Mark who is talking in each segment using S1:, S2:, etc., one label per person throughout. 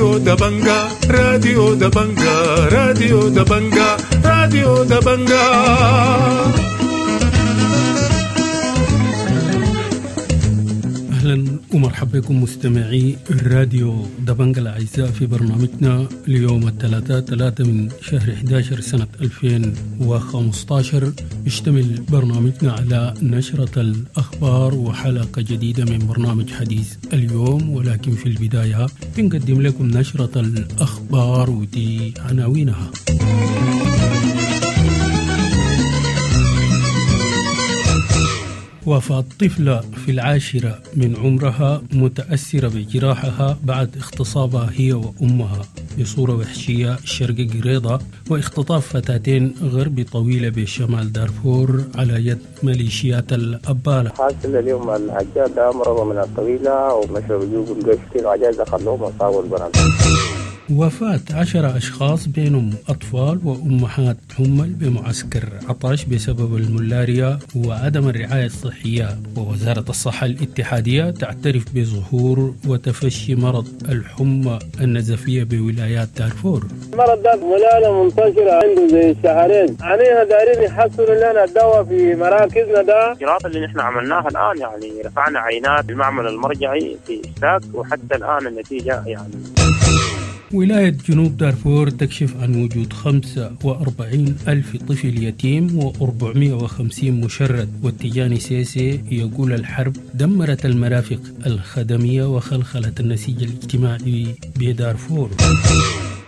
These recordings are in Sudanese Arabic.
S1: راديو دبنجا، راديو دبنجا، راديو دبنجا، راديو دبنجا.
S2: أهلا ومرحبا بكم مستمعي الراديو دبنجا الأعزاء في برنامجنا اليوم الثلاثاء 3 من شهر 11 سنة 2015. يشتمل برنامجنا على نشرة الأخبار وحلقة جديدة من برنامج حديث اليوم، ولكن في البداية بنقدم لكم نشرة الأخبار ودي عناوينها. وفاة طفلة في العاشرة من عمرها متأثرة بجراحها بعد اغتصابها هي وأمها بصورة وحشية شرق قريضة، واختطاف فتاتين غرب طويلة بشمال دارفور على يد ميليشيات الأبالة.
S3: حاصل اليوم العجاز ده مرضوا من الطويلة ومشوا بيجيبوا القش العجاز خلوهم وصابوا البنات.
S2: وفاة 10 أشخاص بينهم أطفال وأمهات حمل بمعسكر عطاش بسبب الملاريا وعدم الرعاية الصحية. ووزارة الصحة الاتحادية تعترف بظهور وتفشي مرض الحمى النزفية بولايات دارفور.
S4: المرض ده ملالة منتشرة عنده زي شهرين، علينا دارين يحصلوا لنا الدواء في مراكزنا. ده
S5: الإجراءات اللي نحن عملناها الآن، يعني رفعنا عينات المعمل المرجعي في إشتاك، وحتى الآن النتيجة يعني.
S2: ولاية جنوب دارفور تكشف عن وجود 45 ألف طفل يتيم و450 مشرد. والتجاني سيسي يقول الحرب دمرت المرافق الخدمية وخلخلت النسيج الاجتماعي بدارفور.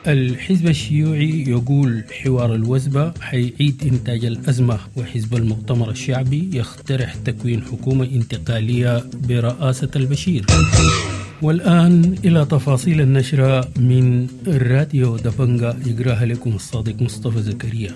S2: الحزب الشيوعي يقول حوار الوزبة حيعيد إنتاج الأزمة، وحزب المؤتمر الشعبي يقترح تكوين حكومة انتقالية برئاسة البشير. والآن إلى تفاصيل النشرة من راديو دبنجا، يقراها لكم الصادق مصطفى زكريا.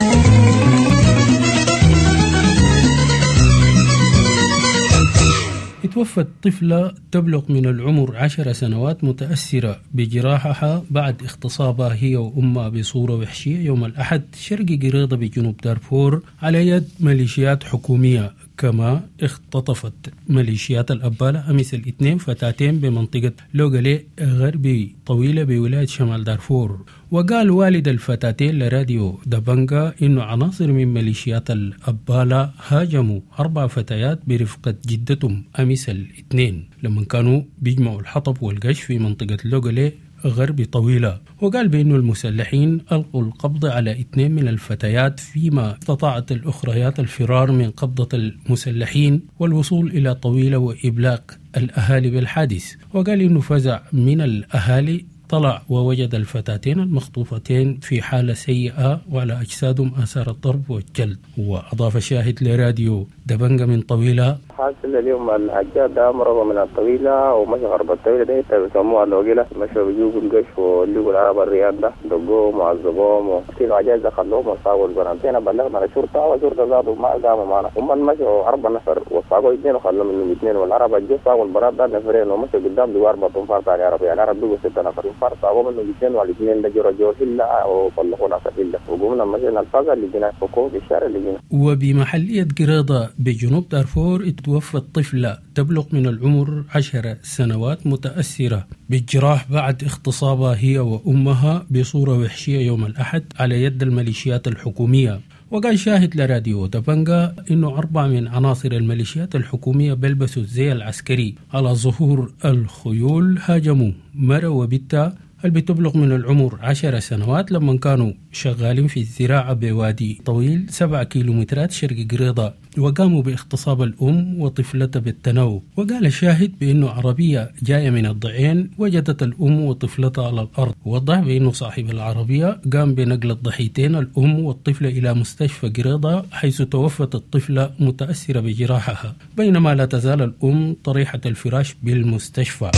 S2: توفت طفلة تبلغ من العمر 10 سنوات متأثرة بجراحها بعد اغتصابها هي وأمها بصورة وحشية يوم الأحد شرق قريضة بجنوب دارفور على يد ميليشيات حكومية. كما اختطفت ميليشيات الأبالة أمس الاثنين فتاتين بمنطقة لوغالي غربي طويلة بولاية شمال دارفور. وقال والد الفتاتين لراديو دبنجا إنه عناصر من ميليشيات الأبالة هاجموا 4 فتيات برفقة جدتهم أمس الاثنين لما كانوا بيجمعوا الحطب والقش في منطقة لوغالي غرب طويلة. وقال بأنه المسلحين ألقوا القبض على 2 من الفتيات، فيما استطاعت الأخريات الفرار من قبضة المسلحين والوصول إلى طويلة وإبلاغ الأهالي بالحادث. وقال إنه فزع من الأهالي طلع ووجد الفتاتين المخطوفتين في حالة سيئة وعلى أجسادهم آثار الضرب والجلد. وأضاف شاهد لراديو دبنجا من طويلة:
S3: حاصل اليوم العجاز ده مرضوا من الطويلة ومشى غرب الطويلة ده بيسموها اللوجيلة، مشوا بيجيبوا القش ولقوا العرب الرياض ده دقوهم وعذبوهم وكيلو العجاز ده خلوهم وصابوا البنات. بلغنا الشرطة والشرطة زادوا ما قاموا معنا، هم مشوا 4 نفر وصابوا 2 وخلوا منهم 2، والعرب الجو صابوا البنات ده 2 نفرين ومشوا قدام بيوا 4 أنفار ثاني عربي، يعني العرب بيجوا 6 نفر انفار صابوا منهم 2 والاثنين ده جروا جو هلا وطلقونا في هلا وقمنا مشينا الفازة اللي جينا فوق في الشارع اللي جينا.
S2: وبمحلية قريضة بجنوب دارفور توفت طفلة تبلغ من العمر 10 سنوات متأثرة بالجراح بعد اغتصابها هي وأمها بصورة وحشية يوم الأحد على يد الميليشيات الحكومية. وقال شاهد لراديو دبنجا إنه 4 من عناصر الميليشيات الحكومية بلبسوا الزي العسكري على ظهور الخيول هاجموا مرة وبنتها اللي بتبلغ من العمر 10 سنوات لما كانوا شغالين في الزراعة بوادي طويل 7 كيلومترات شرق قريضة، وقاموا باغتصاب الأم وطفلتها بالتناوب. وقال الشاهد بأنه عربية جاية من الضعين وجدت الأم وطفلتها على الأرض. ووضح بأنه صاحب العربية قام بنقل الضحيتين الأم والطفلة إلى مستشفى قريضة حيث توفت الطفلة متأثرة بجراحها، بينما لا تزال الأم طريحة الفراش بالمستشفى.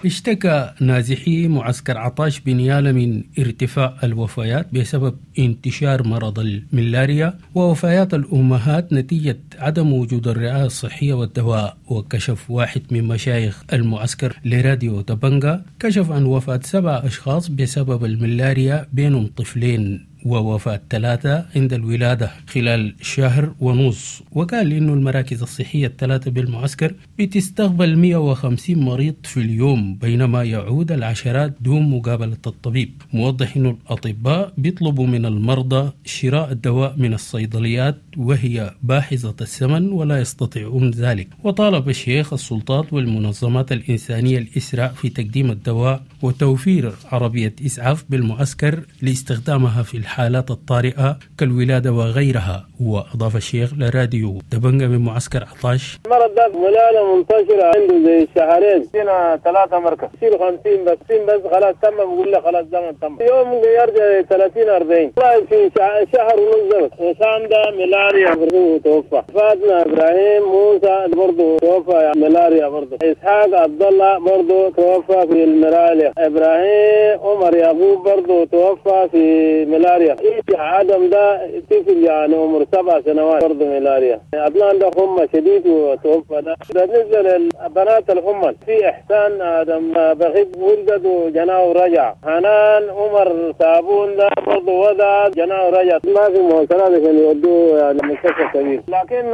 S2: اشتكى نازحي معسكر عطاش بنيالة من ارتفاع الوفيات بسبب انتشار مرض الملاريا ووفيات الأمهات نتيجة عدم وجود الرعاية الصحية والدواء. وكشف واحد من مشايخ المعسكر لراديو دبنجا كشف عن وفاة 7 أشخاص بسبب الملاريا بينهم طفلين. ووفاة 3 عند الولادة خلال شهر ونص. وقال إنه المراكز الصحية الثلاثة بالمعسكر بتستقبل 150 مريض في اليوم، بينما يعود العشرات دون مقابلة الطبيب. موضح إنه الأطباء بيطلبوا من المرضى شراء الدواء من الصيدليات وهي باحظة الثمن ولا يستطيعون ذلك. وطالب الشيخ السلطات والمنظمات الإنسانية الإسراع في تقديم الدواء وتوفير عربية إسعاف بالمعسكر لاستخدامها في الحالات الطارئة كالولادة وغيرها. وأضاف الشيخ لراديو دبنجة من معسكر عطاش:
S4: المرض ده ملالة منتشرة عنده زي شهرين، فينا 3 مركز يصير 50 بس 60 بس خلاص تم، بقول له خلاص زمن تم، يوم يرجع 30 40 والله في شهر ونص. وسام ده ملاريا برضه توفى، فاطمة إبراهيم موسى برضه توفى ملاريا برضه، إسحاق عبد الله برضه توفى في الملاريا، إبراهيم عمر يعقوب برضه توفى في ملاريا، عدم ده طفل يعني عمر 7 سنوات برضه ملاريا، عدنان ده حمى شديد وتوفى ده. بالنسبة للبنات الحمى في إحسان آدم بغيب ولدت وجناه ورجع، حنان عمر صابون ده برضه وضع جناه ورجع، ما في مواصلات عشان يودوه يعني مستشفى كبير، لكن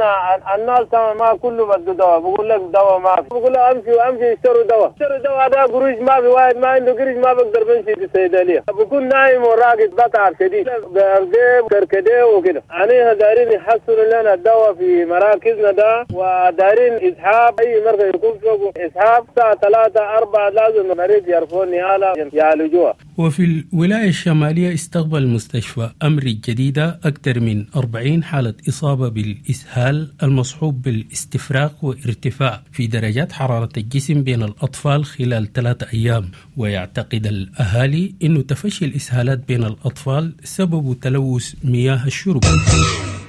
S4: الناس ما كله بده دواء، بقول لك دواء ما في، بقول له امشي وامشي اشتروا دواء، اشتروا دواء ده قروش ما في، واحد ما عنده قرش ما بقدر بمشي في الصيدلية، بكون نايم وراقد بتعب شديد بأرديه كركديه وكده. يعني دارين يحصلوا لنا الدواء في مراكزنا ده، ودارين إسحاب أي مركز يكون فوق إسحاب الساعة 3 4 لازم المريض يرفعون نهالة يعالجوها.
S2: وفي الولاية الشمالية استقبل مستشفى أمر الجديدة أكثر من 40 حالة إصابة بالإسهال المصحوب بالاستفراغ وارتفاع في درجات حرارة الجسم بين الأطفال خلال 3 أيام. ويعتقد الأهالي أن تفشي الإسهالات بين الأطفال سبب تلوث مياه الشرب.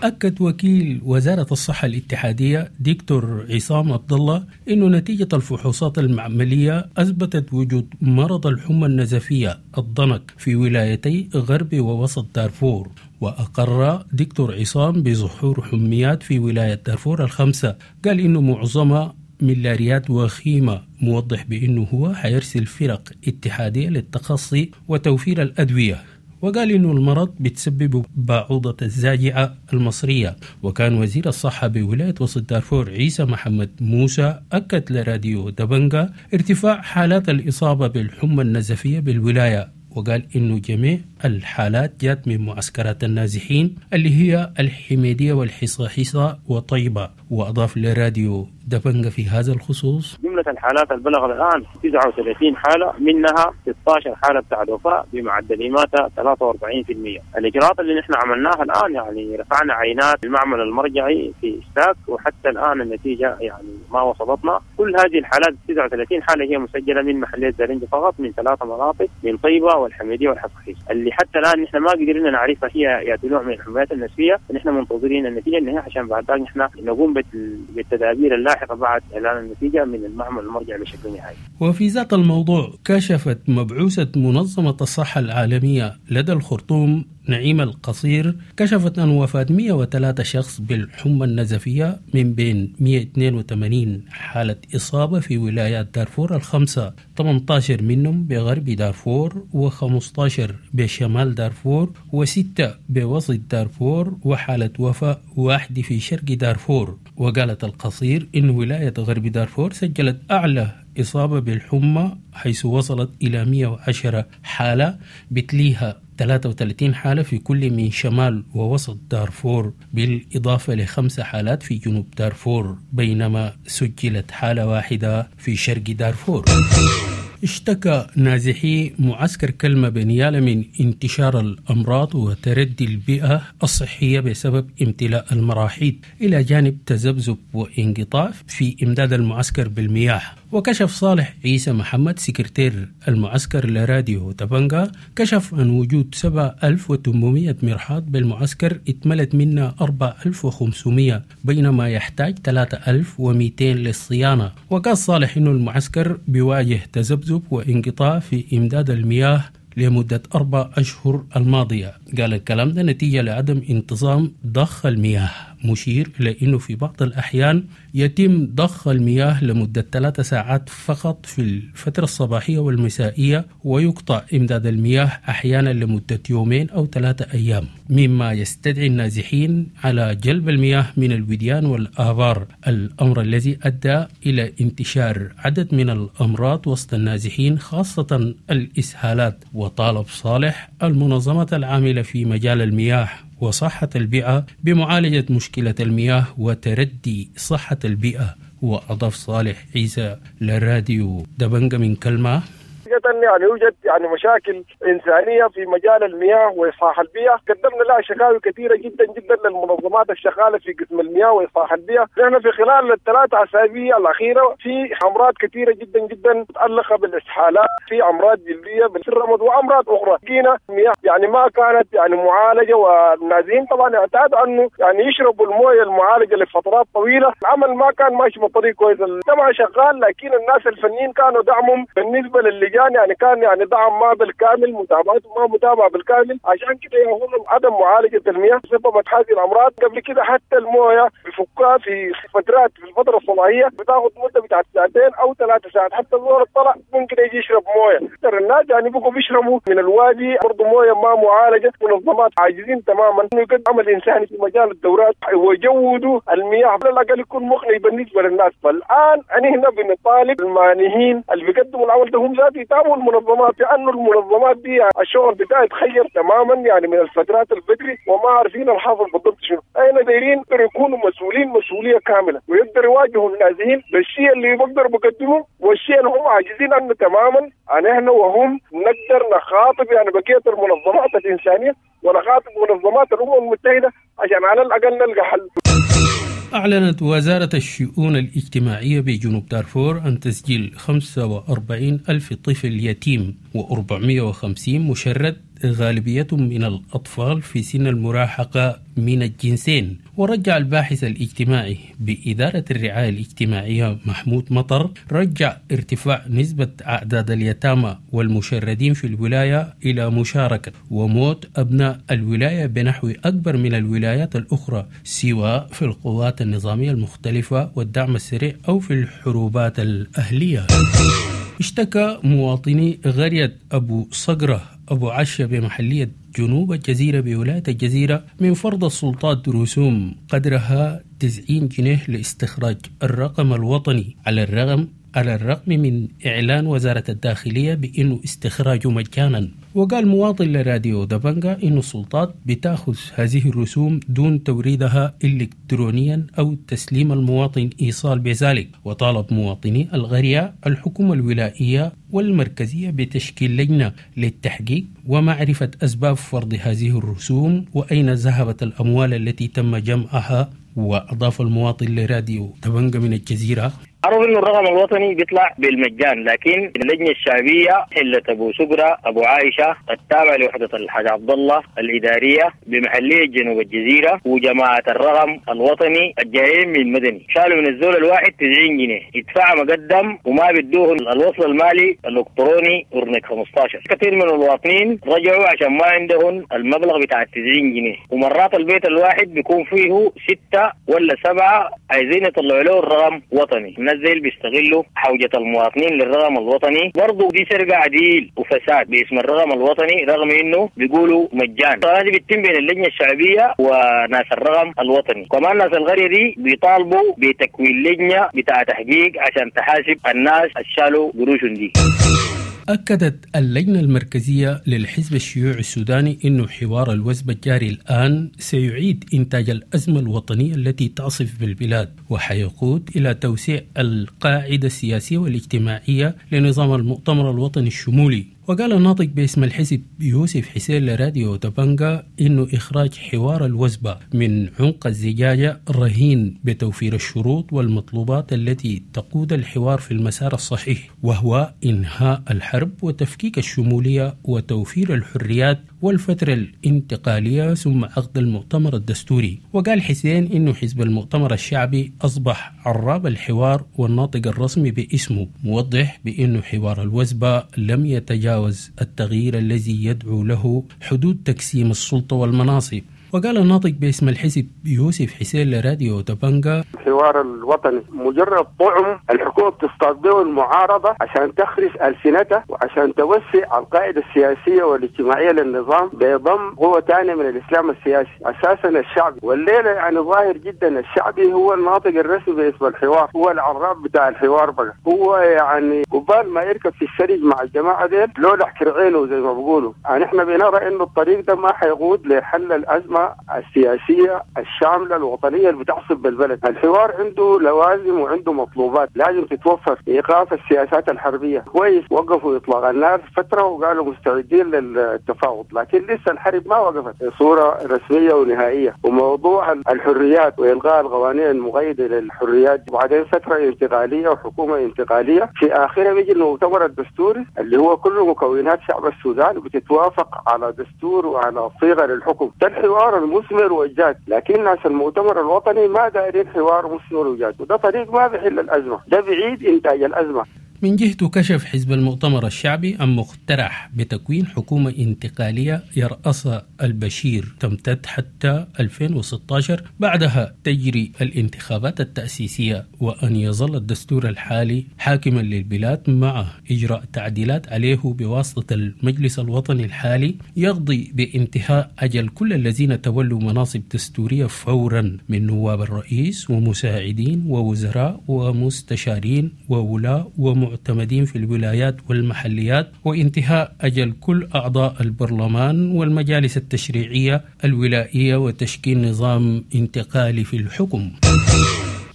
S2: أكد وكيل وزارة الصحة الاتحادية دكتور عصام عبد الله أن نتيجة الفحوصات المعملية أثبتت وجود مرض الحمى النزفية الضنك في ولايتي غرب ووسط دارفور. وأقر دكتور عصام بظهور حميات في ولاية دارفور ال5، قال إنه معظمها ملاريات وخيمة، موضح بأنه هو حيرسل فرق اتحادية للتخصي وتوفير الأدوية. وقال إنه المرض بتسبب باعوضة الزاجعة المصرية. وكان وزير الصحة بولاية وسط دارفور عيسى محمد موسى أكد لراديو دبنجا ارتفاع حالات الإصابة بالحمى النزفية بالولاية، وقال إنه جميع الحالات جات من معسكرات النازحين اللي هي الحميدية والحصاحيصة وطيبة. وأضاف لراديو دبنجا في هذا الخصوص:
S5: جملة الحالات البلغ الآن 39 حالة، منها 16 حالة بتاع الوفاة بمعدل إماتة 43%. الإجراءات اللي نحن عملناها الآن يعني رفعنا عينات المعمل المرجعي في إشتاك، وحتى الآن النتيجة يعني ما وصلتنا. كل هذه الحالات 39 حالة هي مسجلة من محلية زرنجي فقط، من 3 مناطق، من طيبة والحميدية والحصاحيص. اللي حتى الآن نحن ما قدرنا نعرفها هي يا نوع من الحميات النسفية، نحن منتظرين النتيجة النهائية عشان بعد ذلك نحن نقوم بالتدابير اللاحقة بعد إعلان النتيجة من المعمل المرجع بشكل نهائي.
S2: وفي ذات الموضوع كشفت مبعوثة منظمة الصحة العالمية لدى الخرطوم نعيم القصير كشفت أن وفاة 103 شخص بالحمى النزفية من بين 182 حالة إصابة في ولايات دارفور ال5، 18 منهم بغرب دارفور و15 بشمال دارفور و6 بوسط دارفور وحالة وفاة 1 في شرق دارفور. وقالت القصير إن ولاية غرب دارفور سجلت أعلى إصابة بالحمى حيث وصلت إلى 110 حالة، بتليها 33 حالة في كل من شمال ووسط دارفور، بالإضافة ل5 حالات في جنوب دارفور، بينما سجلت حالة واحدة في شرق دارفور. اشتكى نازحي معسكر كلمة بنيالة من انتشار الأمراض وتردي البيئة الصحية بسبب امتلاء المراحيض، إلى جانب تذبذب وانقطاع في إمداد المعسكر بالمياه. وكشف صالح عيسى محمد سكرتير المعسكر لراديو تبنجا كشف عن وجود 7800 مرحاض بالمعسكر اتملت منها 4500، بينما يحتاج 3200 للصيانة. وقال صالح إنه المعسكر بيواجه تذبذب وانقطاع في إمداد المياه لمدة 4 أشهر الماضية. قال الكلام ده نتيجة لعدم انتظام ضخ المياه. مشير إلى أنه في بعض الأحيان يتم ضخ المياه لمدة 3 ساعات فقط في الفترة الصباحية والمسائية، ويقطع إمداد المياه أحيانا لمدة 2 أو 3 أيام، مما يستدعي النازحين على جلب المياه من الوديان والآبار، الأمر الذي أدى إلى انتشار عدد من الأمراض وسط النازحين خاصة الإسهالات. وطالب صالح المنظمة العاملة في مجال المياه وصحة البيئة بمعالجة مشكلة المياه وتردي صحة البيئة. وأضاف صالح عيسى للراديو دبنجة من كلمة:
S6: يعني يوجد يعني مشاكل إنسانية في مجال المياه وإصلاح البيئة، قدمنا لها شكاوي كثيرة جدا جدا للمنظمات الشغالة في قسم المياه وإصلاح البيئة. نحن في خلال ال3 أسابيع الأخيرة في أمراض كثيرة جدا جدا متعلقة بالإسهالات، في أمراض جلدية بالرمد وأمراض أخرى. لقينا المياه يعني ما كانت يعني معالجة، والنازحين طبعا اعتادوا أنه يعني يشربوا المويه المعالجة لفترات طويلة. العمل ما كان ماشي بطريق كويس، طبعا شغال، لكن الناس الفنيين كانوا دعمهم بالنسبة للجان يعني كان يعني دعم ما بالكامل، متابعته ما متابعه بالكامل، عشان كده يهون عدم معالجة المياه سببت هذه الامراض. قبل كده حتى المويه بفكها في فترات في الفترة الصباحية بتاخذ مده بتاعت 2 أو 3 ساعات، حتى الزول الطلع ممكن يجي يشرب مويه. الناس يعني بقوا بيشربوا من الوادي برضه مويه ما معالجة. منظمات عاجزين تماما انه يقدم عمل انساني في مجال الدورات ويجودوا المياه على الاقل يكون مقنع بالنسبة للناس. فالان انا هنا بنطالب المانحين اللي بيقدموا العمل ده هم ذات يتابعوا المنظمات، لانه المنظمات دي الشغل بتاعها يتخير تماما يعني من الفترات البدري وما عارفين الحاصل بالضبط شنو. احنا دايرين يكونوا مسؤولين مسؤولية كاملة ويقدروا يواجهوا النازحين بالشيء اللي بيقدروا بيقدموه والشيء اللي هم عاجزين عنه تماما. احنا وهم نقدر نخاطب يعني بقية المنظمات الانسانية ونخاطب منظمات الامم المتحدة عشان على الاقل نلقى حل.
S2: أعلنت وزارة الشؤون الاجتماعية بجنوب دارفور عن تسجيل 45 ألف طفل يتيم و450 مشرد، غالبيتهم من الأطفال في سن المراهقة من الجنسين. ورجع الباحث الاجتماعي بإدارة الرعاية الاجتماعية محمود مطر رجع ارتفاع نسبة أعداد اليتامى والمشردين في الولاية إلى مشاركة وموت أبناء الولاية بنحو أكبر من الولايات الأخرى، سواء في القوات النظامية المختلفة والدعم السريع أو في الحروبات الأهلية. اشتكى مواطني قرية أبو صقرة أبو عشة بمحلية جنوب الجزيرة بولاية الجزيرة من فرض السلطات رسوم قدرها 90 جنيه لاستخراج الرقم الوطني، على الرغم من إعلان وزارة الداخلية بأنه استخراجه مجانا. وقال مواطن لراديو دبنجا إن السلطات بتأخذ هذه الرسوم دون توريدها إلكترونيا أو تسليم المواطن إيصال بذلك. وطالب مواطني القرية الحكومة الولائية والمركزية بتشكيل لجنة للتحقيق ومعرفة أسباب فرض هذه الرسوم وأين ذهبت الأموال التي تم جمعها. وأضاف المواطن لراديو دبنجا من الجزيرة:
S7: عرف انه الرقم الوطني بيطلع بالمجان، لكن اللجنة الشعبية حله ابو سقره ابو عائشة التابعة لوحده الحاج عبد الله الادارية بمحليه جنوب الجزيرة وجماعه الرقم الوطني الجايين من مدني شالوا من الزول الواحد 90 جنيه يدفع مقدم وما بدوه الوصل المالي الالكتروني ورنك 15. كثير من المواطنين رجعوا عشان ما عندهم المبلغ بتاع 90 جنيه، ومرات البيت الواحد بيكون فيه 6 ولا 7 عايزين يطلعوا له الرقم وطني. الناس زي اللي بيستغلوا حوجة المواطنين للرقم الوطني برضه دي سرقة عديل وفساد باسم الرقم الوطني رغم انه بيقولوا مجان. هذه بتتم بين اللجنة الشعبية وناس الرقم الوطني. كمان ناس القرية دي بيطالبوا بتكوين لجنة بتاع تحقيق عشان تحاسب الناس اللي شالوا قروشهم دي.
S2: أكدت اللجنة المركزية للحزب الشيوعي السوداني أن حوار الوزب الجاري الآن سيعيد إنتاج الأزمة الوطنية التي تعصف بالبلاد، وحيقود إلى توسيع القاعدة السياسية والاجتماعية لنظام المؤتمر الوطني الشمولي. وقال الناطق باسم الحزب يوسف حسين لراديو تبنجا إنه إخراج حوار الوزبة من عمق الزجاجة رهين بتوفير الشروط والمطلوبات التي تقود الحوار في المسار الصحيح، وهو إنهاء الحرب وتفكيك الشمولية وتوفير الحريات والفترة الانتقالية ثم عقد المؤتمر الدستوري. وقال حسين إنه حزب المؤتمر الشعبي أصبح عراب الحوار والناطق الرسمي باسمه، موضح بأنه حوار الوزبة لم يتجاوز التغيير الذي يدعو له حدود تقسيم السلطة والمناصب. وقال الناطق باسم الحزب يوسف حسين لراديو دبنجا:
S8: الحوار الوطني مجرد طعم الحكومة بتصطاد به المعارضة عشان تخرس ألسنتها وعشان توسع القاعدة السياسية والاجتماعية للنظام بضم قوة ثانية من الإسلام السياسي أساسا الشعبي. والليلة يعني ظاهر جدا الشعبي هو الناطق الرسمي باسم الحوار، هو العراب بتاع الحوار بقى، هو يعني قبال ما يركب في السرج مع الجماعة ديل لولا كرعينه زي ما بيقولوا. يعني احنا بنرى انه الطريق ده ما حيقود لحل الأزمة السياسية الشاملة الوطنية اللي بتعصب بالبلد. الحوار عنده لوازم وعنده مطلوبات لازم تتوفر. إيقاف السياسات الحربية، كويس وقفوا إطلاق النار فترة وقالوا مستعدين للتفاوض، لكن لسه الحرب ما وقفت صورة رسمية ونهائية. وموضوع الحريات وإلغاء القوانين المقيدة للحريات، وبعدين فترة انتقالية وحكومة انتقالية، في آخرها بيجي المؤتمر الدستوري اللي هو كل مكونات شعب السودان بتتوافق على دستور وعلى صيغة للحكم. ده الحوار المثمر والجاد، لكن ناس المؤتمر الوطني ما دايرين حوار مثمر وجاد، وده طريق ما بيحل الأزمة، ده بعيد إنتاج الأزمة.
S2: من جهته كشف حزب المؤتمر الشعبي عن مقترح بتكوين حكومة انتقالية يرأسها البشير تمتد حتى 2016، بعدها تجري الانتخابات التأسيسية، وأن يظل الدستور الحالي حاكما للبلاد مع إجراء تعديلات عليه بواسطة المجلس الوطني الحالي يقضي بانتهاء أجل كل الذين تولوا مناصب دستورية فورا من نواب الرئيس ومساعدين ووزراء ومستشارين وولاء ومعتمدين في الولايات والمحليات، وانتهاء أجل كل أعضاء البرلمان والمجالس التشريعية الولائية، وتشكيل نظام انتقالي في الحكم.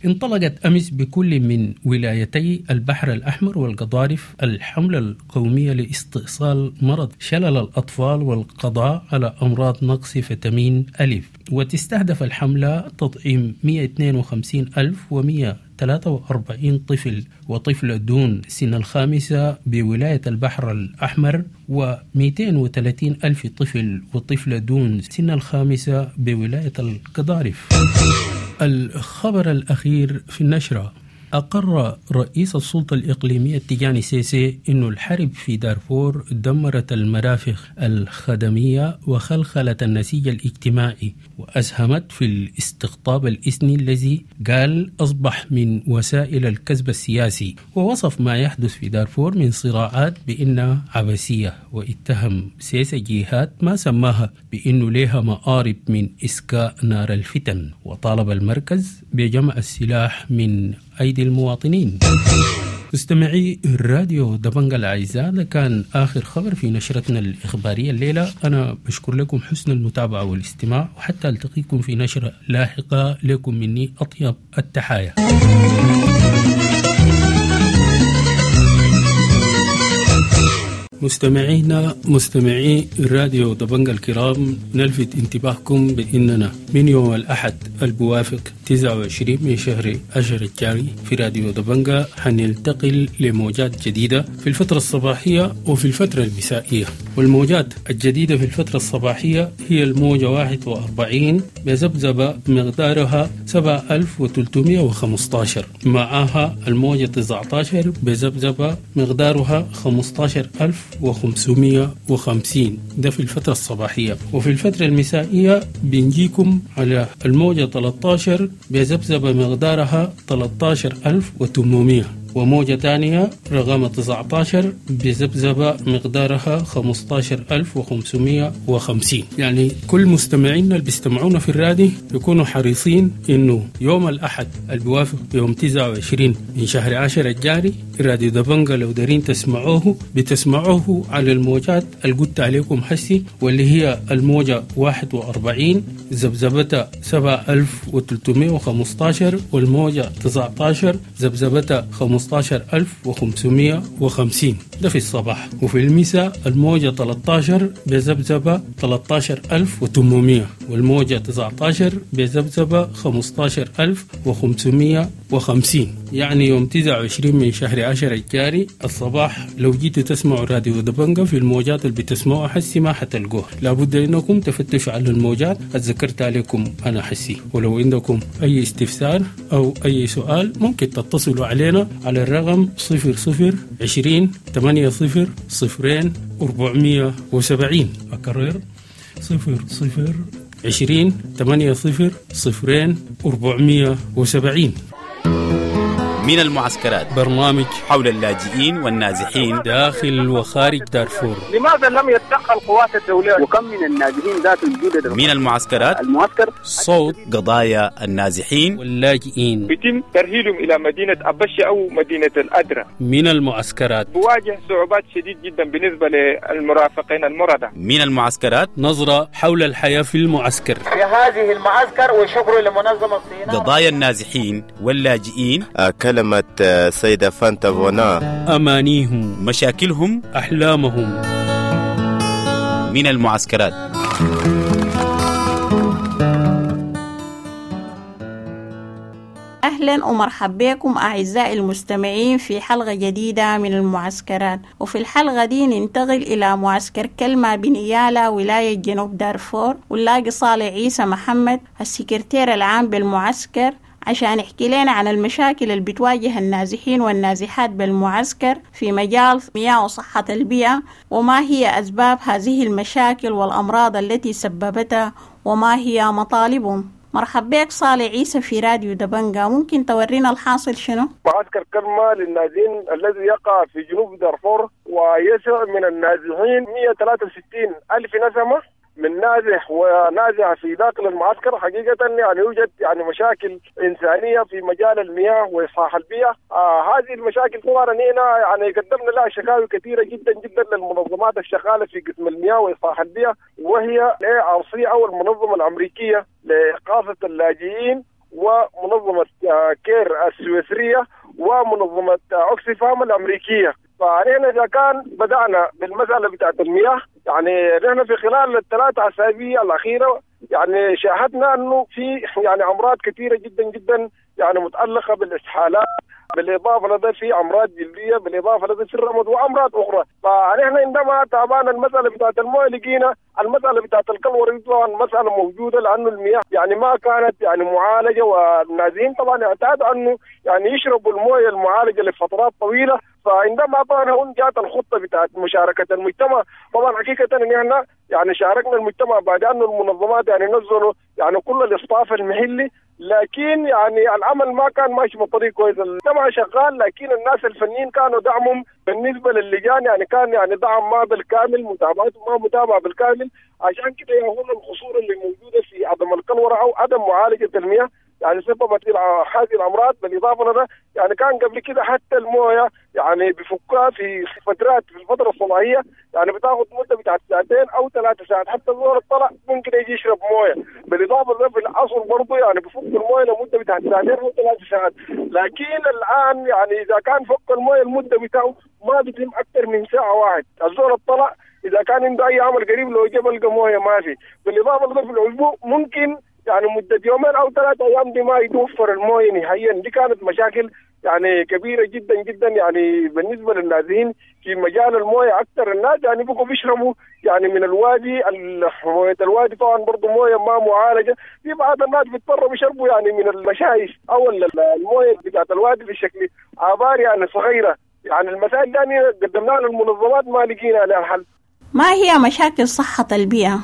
S2: انطلقت أمس بكل من ولايتي البحر الأحمر والقضارف الحملة القومية لاستئصال مرض شلل الأطفال والقضاء على أمراض نقص فيتامين ألف، وتستهدف الحملة تطعيم 152,143 طفل وطفلة دون سن الخامسة بولاية البحر الأحمر، و230 ألف طفل وطفلة دون سن الخامسة بولاية القضارف. الخبر الأخير في النشرة: أقر رئيس السلطة الإقليمية التجاني سيسي أن الحرب في دارفور دمرت المرافق الخدمية وخلخلت النسيج الاجتماعي، وأسهمت في الاستقطاب الإثني الذي قال أصبح من وسائل الكذب السياسي. ووصف ما يحدث في دارفور من صراعات بأنها عبثية، واتهم سيسي جهات ما سماها بأنه لها مآرب من إسكاء نار الفتن، وطالب المركز بجمع السلاح من أيدي المواطنين. مستمعي الراديو دبنجا الأعزاء، ده كان آخر خبر في نشرتنا الإخبارية الليلة. أنا بشكر لكم حسن المتابعة والاستماع، وحتى ألتقيكم في نشرة لاحقة. لكم مني أطيب التحايا. مستمعينا مستمعي الراديو دبنجا الكرام، نلفت انتباهكم بأننا من يوم الأحد البوافق 29 من شهر 10 الجاري في راديو دبنجا حننتقل لموجات جديدة في الفترة الصباحية وفي الفترة المسائية. والموجات الجديدة في الفترة الصباحية هي الموجة 41 بذبذبة مقدارها 7315، معها الموجة 19 بذبذبة مقدارها 15550، ده في الفترة الصباحية. وفي الفترة المسائية بنجيكم على الموجة 13 بذبذبة مقدارها 13800، وموجة تانية رقم 19 بذبذبة مقدارها 15550. يعني كل مستمعينا اللي بيستمعونا في الرادي يكونوا حريصين إنه يوم الأحد البوافق يوم 29 من شهر 10 الجاري راديو دبنجا لو دارين تسمعوه بتسمعوه على الموجات اللي قلت عليكم حسي، واللي هي الموجة 41 ذبذبتها 7315، والموجة 19 ذبذبتها 15550، ده في الصباح. وفي المساء الموجة 13 بذبذبة 13800، والموجة 19 بذبذبة 15550. يعني يوم 29 من شهر 10 الجاري الصباح لو جيتوا تسمعوا راديو دبنجا في الموجات اللي بتسمعوها حسي ما حتلقوها، لابد انكم تفتشوا على الموجات اتذكرت عليكم انا حسي. ولو عندكم اي استفسار او اي سؤال ممكن تتصلوا علينا على الرقم 00 20 80 0 470. أكرر 00 20 8 0 0 470.
S9: من المعسكرات،
S2: برنامج
S9: حول اللاجئين والنازحين
S2: داخل وخارج دارفور.
S10: لماذا لم يتدخل قوات الدولة؟
S11: وكم من النازحين ذات الجدد
S9: من المعسكرات؟
S11: المعسكر
S2: صوت
S9: قضايا النازحين
S2: واللاجئين.
S10: بيتم ترحيلهم إلى مدينة أبشة أو مدينة الأدرة.
S2: من المعسكرات
S10: بواجه صعوبات شديد جدا بالنسبة للمرافقين المرضى.
S9: من المعسكرات،
S2: نظرة حول الحياة في المعسكر،
S12: في هذه المعسكر، وشكر لمنظمة الصينية.
S9: قضايا النازحين واللاجئين،
S13: كلمة سيدة فانتا فونا،
S2: أمانيهم،
S9: مشاكلهم،
S2: أحلامهم.
S9: من المعسكرات.
S14: أهلا ومرحبا بكم أعزائي المستمعين في حلقة جديدة من المعسكرات. وفي الحلقة دي ننتقل إلى معسكر كلمة بنيالا ولاية جنوب دارفور، ونلاقي صالح عيسى محمد السكرتير العام بالمعسكر عشان يحكي لنا عن المشاكل اللي بتواجه النازحين والنازحات بالمعسكر في مجال مياه وصحة البيئة، وما هي أسباب هذه المشاكل والأمراض التي سببتها، وما هي مطالبهم. مرحبا بك صالح عيسى في راديو دبنجا، ممكن تورينا الحاصل شنو؟
S6: معسكر كلمة للنازحين الذي يقع في جنوب دارفور ويسع من النازحين 163 ألف نسمة من نازح ونازح في داخل المعسكر. حقيقة يعني يوجد يعني مشاكل إنسانية في مجال المياه وإصلاح البيئة. هذه المشاكل طبعا هنا يعني قدمنا لها شكاوي كثيرة جدا جدا للمنظمات الشغالة في قسم المياه وإصلاح البيئة، وهي ARC أو المنظمة الأمريكية لإغاثة اللاجئين، ومنظمة كير السويسرية، ومنظمة أوكسفام الأمريكية. فنحن إذا كان بدأنا بالمسألة بتاعت المياه، يعني نحن في خلال الثلاث أسابيع الأخيرة يعني شاهدنا أنه في يعني أمراض كثيرة جدا جدا يعني متعلقة بالإسهالات، بالإضافة لدى في أمراض جلدية، بالإضافة لدى في الرمد وأمراض أخرى. فنحن عندما تابعنا المسألة بتاعت المويه لقينا المسألة بتاعت الكلور طبعا مسألة موجودة، لأنه المياه يعني ما كانت يعني معالجة، والنازحين طبعا اعتادوا أنه يعني يشربوا المويه المعالجة لفترات طويلة. فعندما طبعا هون جاءت الخطة بتاعت مشاركة المجتمع، طبعا حقيقة ان احنا يعني شاركنا المجتمع بعد انه المنظمات يعني نزلوا يعني كل الاصطاف المحلي، لكن يعني العمل ما كان ماشي بطريق كويس. المجتمع شغال، لكن الناس الفنيين كانوا دعمهم بالنسبة للجان يعني كان يعني دعم ما بالكامل، متابعته ما متابعة بالكامل. عشان كده هون القصور اللي موجودة في عدم الكلورة او عدم معالجة المياه يعني سببت هذه الامراض. بالاضافة لده يعني كان قبل كده حتى المويه يعني بفكها في فترات في الفترة الصباحية يعني بتاخذ مده بتاعت ساعتين او 3 ساعات، حتى الزول الطلع ممكن يجي يشرب مويه. بالاضافة لده في العصر برضه يعني بفك المويه لمدة بتاعت ساعتين او 3 ساعات، لكن الان يعني اذا كان فك المويه المدة بتاعه ما بيتم اكثر من ساعة واحد. الزول الطلع اذا كان عنده اي عمل قريب لو جاب لقى مويه ما في. بالاضافة لده في الاسبوع ممكن يعني مدة يومين أو 3 أيام دي ما يتوفر المويه نهائيا. دي كانت مشاكل يعني كبيرة جدا جدا يعني بالنسبة للنازحين في مجال المويه. أكثر الناس يعني بقوا بيشربوا يعني من الوادي، موية الوادي طبعا برضو مويه ما معالجة. في بعض الناس بيضطروا بيشربوا يعني من المشايش أو المويه بتاعت الوادي بشكل آبار يعني صغيرة. يعني المسائل دي يعني قدمناها للمنظمات ما لقينا لها حل.
S14: ما هي مشاكل صحة البيئة؟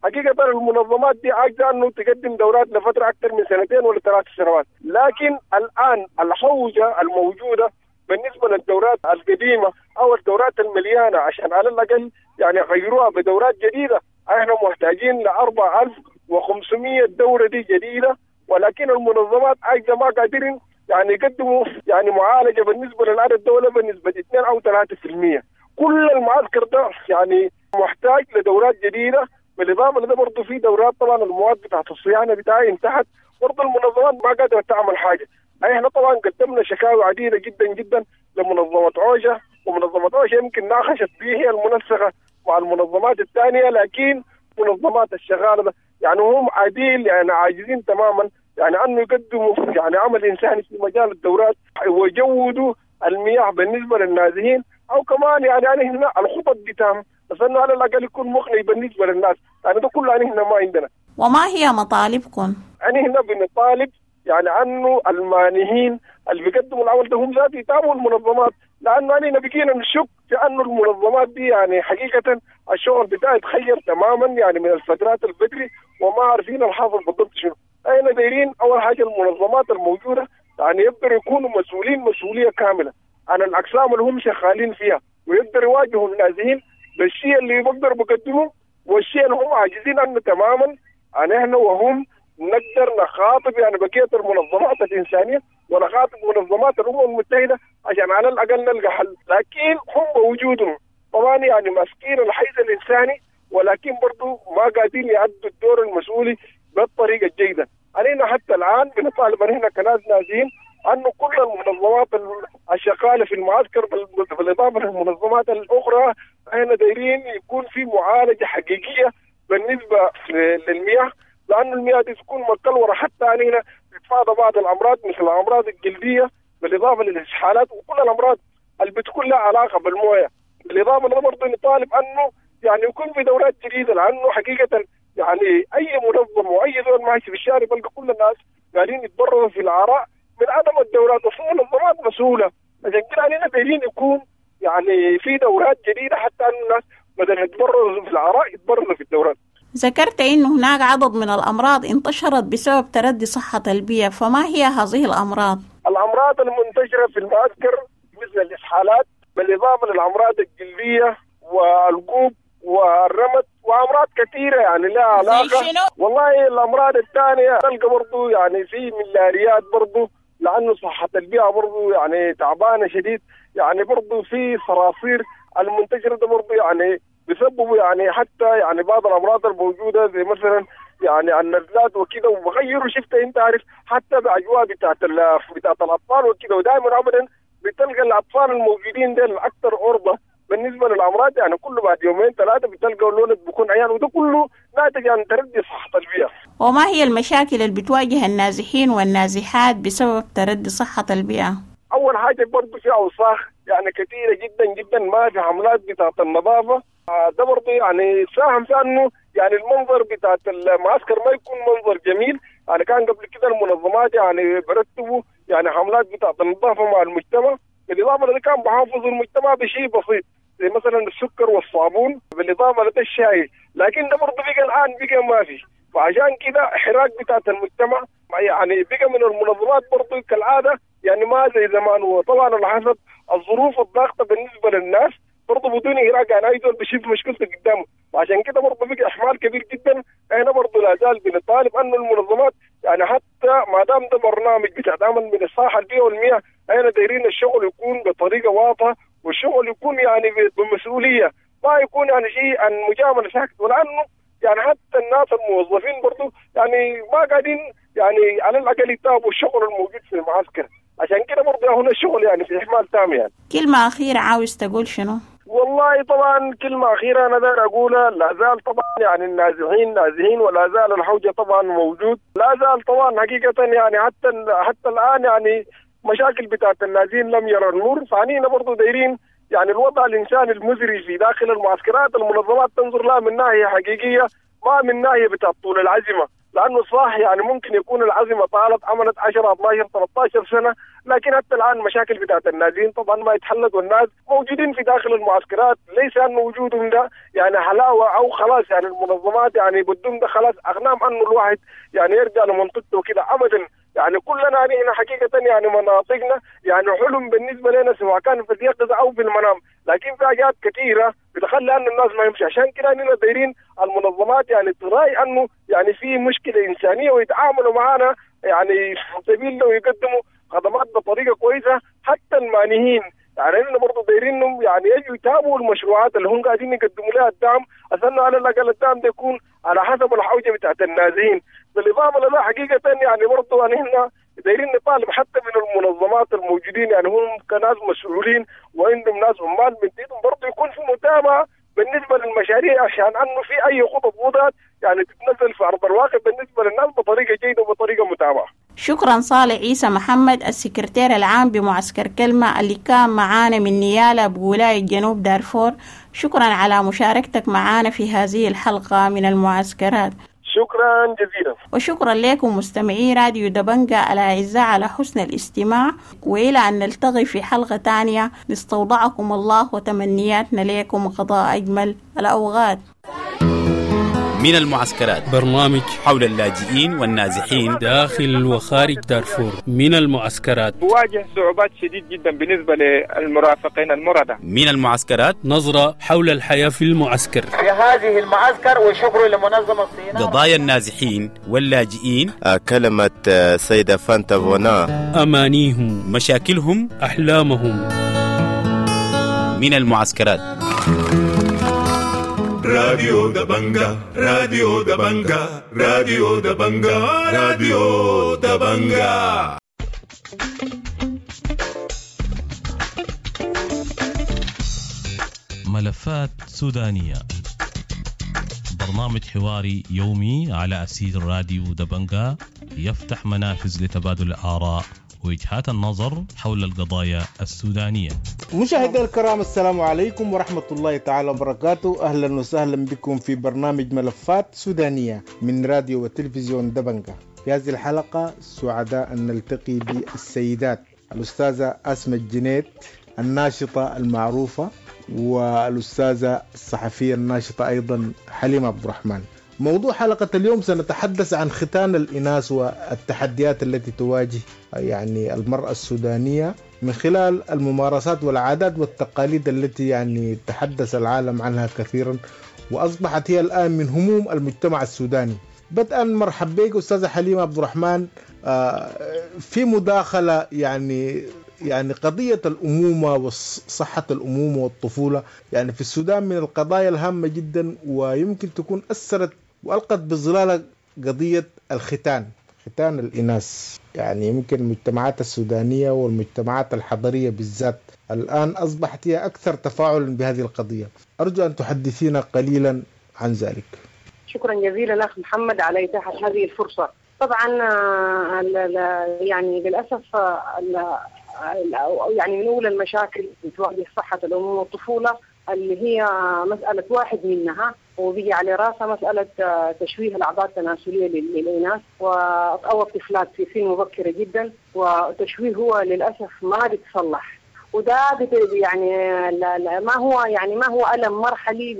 S6: حقيقة المنظمات دي عاجزة أنه تقدم دورات لفترة أكثر من 2 ولا 3 سنوات، لكن الآن الحوجة الموجودة بالنسبة للدورات القديمة أو الدورات المليانة عشان على الأقل يعني غيروها بدورات جديدة، احنا محتاجين ل 4500 دورة دي جديدة، ولكن المنظمات عاجزة ما قادرين يعني يقدموا يعني معالجة بالنسبة للعدد الدولة بنسبة 2 أو 3%. كل المعسكر ده يعني محتاج لدورات جديدة. بالاضافة لده برضه في دورات طبعا المواد بتاعت الصيانة بتاعي انتهت، برضه المنظمات ما قادرة تعمل حاجة. احنا طبعا قدمنا شكاوي عديدة جدا جدا لمنظمة عوشه، ومنظمة عوشه يمكن ناقشت به هي المنسقه مع المنظمات الثانية، لكن منظمات الشغاله ده يعني هم عديل يعني عاجزين تماما يعني انه يقدموا يعني عمل انساني في مجال الدورات ويجودوا المياه بالنسبة للنازحين، او كمان يعني هنا الخطط بتاعهم بس انه على الاقل يكون مقنع بالنسبة للناس. يعني ده كله يعني هنا ما عندنا.
S14: وما هي مطالبكم؟
S6: يعني هنا بنطالب يعني انه المانحين اللي بيقدموا العمل ده هم ذات يتابعوا المنظمات، لانه انا بقينا نشك في انه المنظمات دي يعني حقيقة الشغل بتاعها اتغير تماما يعني من الفترات البدري، وما عارفين الحاصل بالضبط شنو. احنا دايرين اول حاجة المنظمات الموجودة يعني يقدروا يكونوا مسؤولين مسؤولية كاملة عن الاقسام اللي هم شغالين فيها، ويقدروا يواجهوا النازحين بالشيء اللي بيقدروا بيقدموه والشيء اللي هم عاجزين عنه تماما. يعني احنا وهم نقدر نخاطب يعني بقية المنظمات الانسانية ونخاطب منظمات الامم المتحدة عشان على الاقل نلقى حل، لكن هم بوجودهم طبعا يعني ماسكين الحيز الانساني، ولكن برضو ما قادرين يأدوا الدور المسؤولي بالطريقة الجيدة. علينا حتى الان بنطالب احنا كناس نازحين انه كل المنظمات الشغاله في المعسكر بالاضافة للمنظمات الاخرى احنا دايرين يكون في معالجة حقيقية بالنسبة للمياه، لانه المياه دي تكون مكلوره حتى علينا تتفادى بعض الامراض مثل الامراض الجلدية بالاضافة للاسهالات وكل الامراض اللي بتكون لها علاقة بالمويه. بالاضافة برضه نطالب انه يعني يكون في دورات جديدة، لانه حقيقة يعني اي منظم واي زول ماشي في الشارع بلقى كل الناس قاعدين يتبرروا في العراء من عدم الدورات، وفي منظمات مسؤولة. عشان كده علينا دايرين يكون يعني في دورات جديدة حتى ان الناس بدل يتبرروا في العراء يتبرروا في الدورات.
S14: ذكرت أن هناك عدد من الأمراض انتشرت بسبب تردي صحة البيئة، فما هي هذه الأمراض؟
S6: الأمراض المنتشرة في المعسكر مثل الإسهالات، بالإضافة للأمراض الجلدية والقوب والرمد وأمراض كثيرة يعني لها علاقة. والله الأمراض الثانية تلقى برضو يعني في ملاريات برضو، لأنه صحة البيئة برضو يعني تعبانة شديد، يعني برضو في صراصير المنتشرة ده برضو يعني بيسببوا يعني حتى يعني بعض الامراض الموجودة زي مثلا يعني النزلات وكده، وبغيروا شفت انت عارف حتى باجواء بتاعت الاطفال وكده، ودائما ابدا بتلقى الاطفال الموجودين ديل اكثر عرضه بالنسبة للامراض، يعني كله بعد يومين ثلاثة بتلقى الولد بيكون عيان، وده كله ناتج عن تردي صحة البيئة.
S14: وما هي المشاكل اللي بتواجه النازحين والنازحات بسبب تردي صحة البيئة؟
S6: اول حاجة برضه في اوساخ يعني كثيرة جدا جدا، ما في حملات بتاعت النظافة، ده برضه يعني ساهم في انه يعني المنظر بتاعت المعسكر ما يكون منظر جميل. يعني كان قبل كده المنظمات يعني برتبوا يعني حملات بتاعت النظافة مع المجتمع، بالاضافة لده كان بحافظوا المجتمع بشيء بسيط زي مثلا السكر والصابون، بالاضافة لده الشاي، لكن ده برضه بقى الان بقى ما في. فعشان كده حراك بتاعت المجتمع يعني بقى من المنظمات برضه كالعادة يعني ما زي زمان، وطبعا على حسب الظروف الضاغطه بالنسبة للناس برضه بدون إراقة، يعني أي زول بيشوف مشكلته قدامه، وعشان كده برضه بقى إحمال كبير جدا. احنا برضه لا زال بنطالب أن المنظمات يعني حتى ما دام ده برنامج بتاع عمل من الصحة البيئة والمياه، احنا دايرين الشغل يكون بطريقة واضحة، والشغل يكون يعني بمسؤولية، ما يكون يعني شيء عن مجاملة ساكت، ولأنه يعني حتى الناس الموظفين برضه يعني ما قاعدين يعني على الأقل يتابعوا الشغل الموجود في المعسكر، عشان كده برضه هنا الشغل يعني في إحمال تام. يعني
S14: كلمة أخيرة عاوز تقول شنو؟
S6: والله طبعا كلمة أخيرة أنا داير أقولها، لا زال طبعا يعني النازحين نازحين، ولا زال الحوجة طبعا موجود، لا زال طبعا حقيقة يعني حتى الآن يعني مشاكل بتاعت النازحين لم يرى النور. فعنينا برضو دايرين يعني الوضع الإنساني المزري في داخل المعسكرات المنظمات تنظر لها من ناحية حقيقية، ما من ناحية بتاعت طول العزمة، لأنه صح يعني ممكن يكون العزمة طالت عملت 10 12 13 سنة، لكن حتى الآن مشاكل بتاعت النازحين طبعا ما يتحلت، والناس موجودين في داخل المعسكرات، ليس أنه وجودهم ده يعني حلاوة أو خلاص يعني المنظمات يعني بدهم ده خلاص أغنام أنه الواحد يعني يرجع لمنطقته وكده أبدا. يعني كلنا هنا حقيقة يعني مناطقنا يعني حلم بالنسبة لنا سواء كان في اليقظة أو في المنام، لكن في حاجات كثيرة بتخلي أن الناس ما يمشي. عشان كده أننا دايرين المنظمات يعني تراعي أنه يعني في مشكلة إنسانية ويتعاملوا معنا يعني سبيل ويقدموا خدمات بطريقة كويسة. حتى المانهين يعني إحنا برضه دايرينهم يعني يجوا يتابعوا المشروعات اللي هم قاعدين يقدموا لها الدعم، عشان على الأقل الدعم ده يكون على حسب الحوجة بتاعت النازحين. بالإضافة لده حقيقة يعني برضه يعني إحنا دايرين نطالب حتى من المنظمات الموجودين يعني هم كناس مسؤولين وعندهم ناس عمال من ايدهم برضه يكون في متابعة بالنسبة للمشاريع، عشان أنه في أي خطط وضعت يعني تتنزل في أرض الواقع بالنسبة للناس بطريقة جيدة وبطريقة متابعة.
S14: شكرا صالح عيسى محمد السكرتير العام بمعسكر كلمة اللي كان معانا من نيالا بولاية جنوب دارفور، شكرا على مشاركتك معانا في هذه الحلقة من المعسكرات.
S6: شكرا جزيلا.
S14: وشكرا لكم مستمعي راديو دبنجة الأعزاء على حسن الاستماع، وإلى أن نلتقي في حلقة تانية نستودعكم الله وتمنياتنا لكم قضاء أجمل الأوقات.
S9: من المعسكرات،
S2: برنامج
S9: حول اللاجئين والنازحين
S2: داخل وخارج دارفور. من المعسكرات
S10: بواجه صعوبات شديد جدا بالنسبة للمرافقين المرضى.
S9: من المعسكرات
S2: نظرة حول الحياة في المعسكر
S12: في هذه المعسكر، وشكر لمنظمة الصينية.
S9: قضايا النازحين واللاجئين،
S13: كلمة سيدة فانتا فونا،
S2: أمانيهم،
S9: مشاكلهم،
S2: أحلامهم.
S9: من المعسكرات.
S1: راديو دبنجا، راديو دبنجا، راديو دبنجا، راديو دبنجا.
S15: ملفات سودانية، برنامج حواري يومي على أسير راديو دبنجا، يفتح منافذ لتبادل الآراء ووجهات النظر حول القضايا السودانية.
S16: مشاهدينا الكرام، السلام عليكم ورحمة الله تعالى وبركاته. أهلا وسهلا بكم في برنامج ملفات سودانية من راديو وتلفزيون دبنجا. في هذه الحلقة سعداء أن نلتقي بالسيدات الأستاذة أسماء الجنيد الناشطة المعروفة، والأستاذة الصحفية الناشطة أيضا حليمة عبد الرحمن. موضوع حلقة اليوم سنتحدث عن ختان الإناث والتحديات التي تواجه يعني المرأة السودانية من خلال الممارسات والعادات والتقاليد التي يعني تحدث العالم عنها كثيرا، وأصبحت هي الآن من هموم المجتمع السوداني. بدءا مرحب بك أستاذة حليمة عبد الرحمن في مداخلة يعني قضية الأمومة وصحة الأمومة والطفولة يعني في السودان من القضايا الهامة جدا، ويمكن تكون أثرت وألقت بظلالها قضية الختان، ختان الإناث. يعني يمكن المجتمعات السودانية والمجتمعات الحضرية بالذات الآن أصبحت هي أكثر تفاعلا بهذه القضية. أرجو أن تحدثينا قليلا عن ذلك.
S17: شكرا جزيلا أخ محمد على إتاحة هذه الفرصة. طبعا يعني للأسف يعني من أولى المشاكل اللي تواجه صحة الأمومة والطفولة اللي هي مسألة واحد منها وبيجي على راسها مسألة تشويه الأعضاء التناسلية للإناث أو الطفلات في سن مبكرة جدا، وتشويه هو للأسف ما بيتصلح، وده يعني ما هو يعني ما هو ألم مرحلي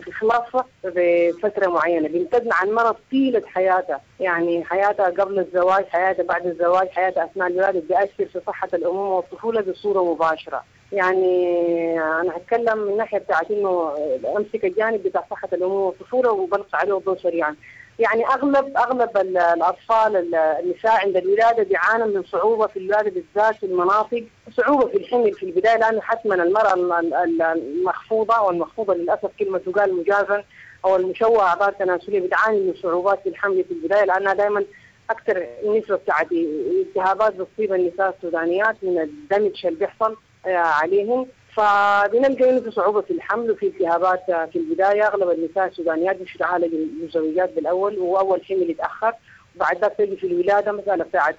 S17: بخلاصه بفترة معينة، بيمتد مع المرض طيلة حياتها، يعني حياتها قبل الزواج، حياتها بعد الزواج، حياتها أثناء الولادة، بيأثر في صحة الأمومة والطفولة بصورة مباشرة. يعني أنا هتكلم من ناحية بتاعت إنه أمسك الجانب بتاع صحة الأمومة والطفولة وبلقي عليه الضوء سريعا. يعني أغلب الأطفال النساء عند الولادة بيعانوا من صعوبة في الولادة، بالذات في المناطق، صعوبة في الحمل في البداية، لأنه حتما المرأة المخفوضة، والمخفوضة للأسف كلمة تقال مجازا، أو المشوهة أعضاء التناسلية بتعاني من صعوبات في الحمل في البداية، لأنها دائما أكثر نسبة بتاعت التهابات بتصيب النساء السودانيات من الدمج اللي بيحصل عليهم، فبنلقى انه في صعوبة في الحمل وفي التهابات في البداية. اغلب النساء السودانيات مش يتعالج المزوجات بالاول، واول حمل يتاخر، وبعد ذاك تجي في الولادة مسالة بتاعت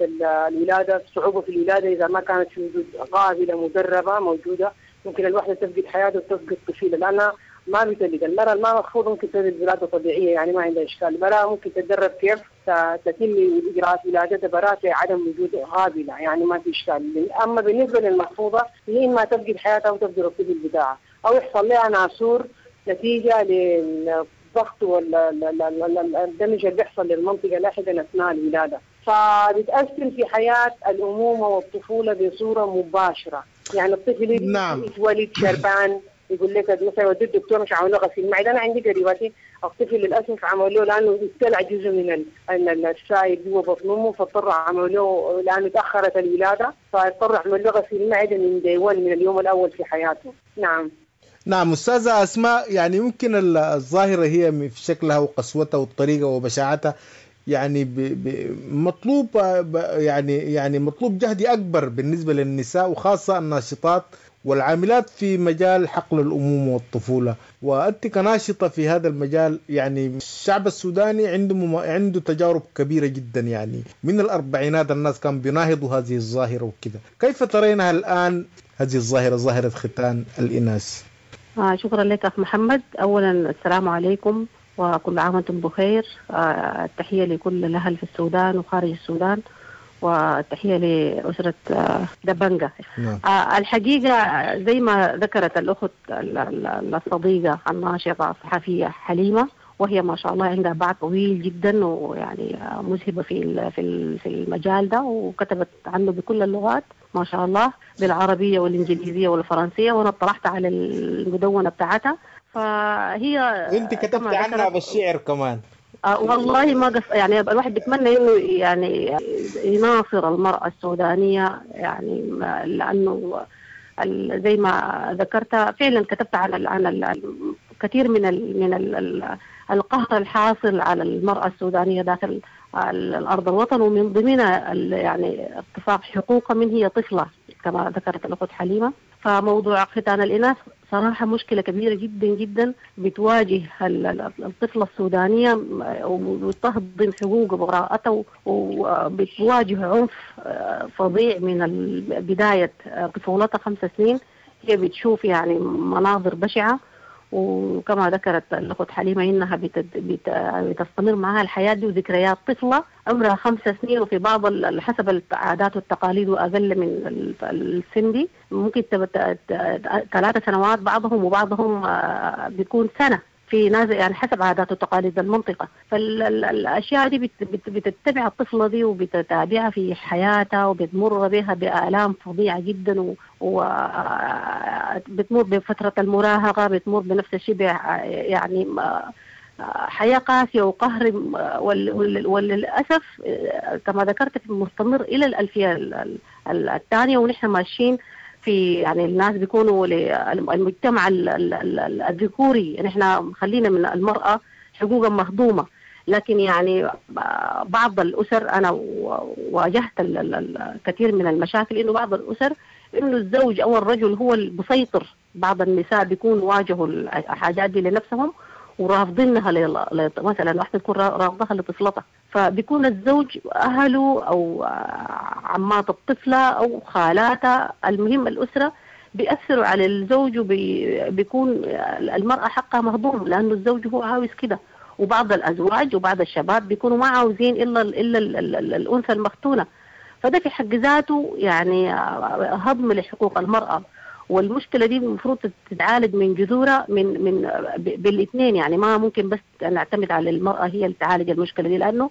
S17: الولادة، صعوبة في الولادة اذا ما كانت في وجود قابله مدربه موجودة، ممكن الوحدة تفقد حياتها وتفقد طفيله لانها ما بتلد. المرأة الما مخفوضة ممكن تلد ولادة طبيعية، يعني ما عندها إشكال. المرأة ممكن تتدرب كيف تتم إجراءات ولادتها براءة عدم وجود قابلة، يعني ما في إشكال. أما بالنسبة للمخفوضة هي إما تفقد حياتها أو تفقد الطفل بتاعها، أو يحصل لها ناسور نتيجة للضغط والدمج اللي بيحصل للمنطقة لاحقا أثناء الولادة، فبتأثر في حياة الأمومة والطفولة بصورة مباشرة. يعني الطفل نعم. يتولد شربان، يقول لك مثلا ودي الدكتور مش عملوا غسيل المعدة. انا عندي قريباتي الطفل للاسف عملوا له لانه ابتلع جزء من السائل جوا بطن امه، فاضطروا عملوا له لانه تاخرت الولادة، فاضطروا عملوا له غسيل معده من دي 1 من اليوم الاول في حياته. نعم
S16: نعم استاذه اسماء، يعني يمكن الظاهرة هي في شكلها وقسوتها والطريقة وبشاعتها يعني مطلوب يعني مطلوب جهد اكبر بالنسبة للنساء، وخاصة الناشطات والعاملات في مجال حقل الأمومة والطفولة. وأنت كناشطة في هذا المجال، يعني الشعب السوداني عنده تجارب كبيرة جدا، يعني من الأربعينات الناس كانوا بيناهضوا هذه الظاهرة وكذا. كيف ترينها الآن هذه الظاهرة، ظاهرة ختان الإناث؟
S18: شكرا لك أخ محمد. أولا السلام عليكم وكل عام وأنتم بخير. التحية لكل الأهل في السودان وخارج السودان، والتحية لأسرة دبنجة.
S16: نعم.
S18: الحقيقة زي ما ذكرت الأخت الصديقة الناشطة الصحفية حليمة، وهي ما شاء الله عندها باع طويل جدا ويعني مذهبة في المجال ده، وكتبت عنه بكل اللغات ما شاء الله، بالعربية والإنجليزية والفرنسية، وأنا اطلعت على المدونة بتاعتها. فهي
S16: وانت كتبت عنها بالشعر كمان.
S18: والله ما قص، يعني الواحد بيتمنى انه يعني يناصر المرأة السودانية، يعني لأنه زي ما ذكرت فعلا كتبت عن كثير من القهر الحاصل على المرأة السودانية داخل الأرض الوطن، ومن ضمنها يعني اغتصاب حقوقها من هي طفلة كما ذكرت الأخت حليمة. فموضوع ختان الإناث صراحة مشكلة كبيرة جدا جدا بتواجه الطفلة السودانية، وتهضم حقوقها وبراءتها، وبتواجه عنف فظيع من بداية طفولتها 5 سنين. هي بتشوف يعني مناظر بشعة، وكما ذكرت الأخت حليمة إنها بتستمر معها الحياة دي وذكريات طفلة عمرها 5 سنين، وفي بعض حسب العادات والتقاليد وأقل من السن دي ممكن 3 سنوات بعضهم، وبعضهم بيكون سنة في ناس، يعني حسب عادات وتقاليد المنطقة. فالأشياء دي بتتبع الطفلة دي وبتتابعها في حياتها، وبتمر بها بآلام فظيعة جدا، وبتمر بفترة المراهقة، بتمر بنفس الشيء يعني حياة قاسية وقهر، وللأسف كما ذكرت مستمر إلى الألفية الثانية. ونحن ماشيين في يعني الناس بيكونوا المجتمع الذكوري، نحن خلينا من المرأة حقوقا مهضومة، لكن يعني بعض الأسر أنا واجهت الكثير من المشاكل، إنه بعض الأسر إنه الزوج أو الرجل هو المسيطر، بعض النساء بيكون واجهوا الحاجات دي لنفسهم ورافضينها، مثلا واحدة تكون رافضها لطفلتها، فبيكون الزوج أهله أو عمات الطفلة أو خالاتها، المهم الأسرة بيأثروا على الزوج، وبيكون المرأة حقها مهضوم لأنه الزوج هو عاوز كده. وبعض الأزواج وبعض الشباب بيكونوا ما عاوزين إلا الأنثى المختونة، فده في حق ذاته يعني هضم لحقوق المرأة. والمشكلة دي المفروض تتعالج من جذورها من بالاثنين، يعني ما ممكن بس نعتمد على المرأة هي اللي تعالج المشكلة دي، لأنه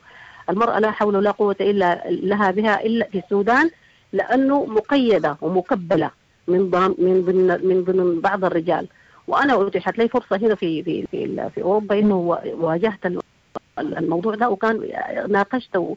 S18: المرأة لا حول ولا قوة إلا لها بها إلا في السودان، لأنه مقيدة ومكبلة من ضمن بعض الرجال. وأنا أتيحت لي فرصة هنا في في في, في أوروبا إنه واجهت الموضوع ده، وكان ناقشت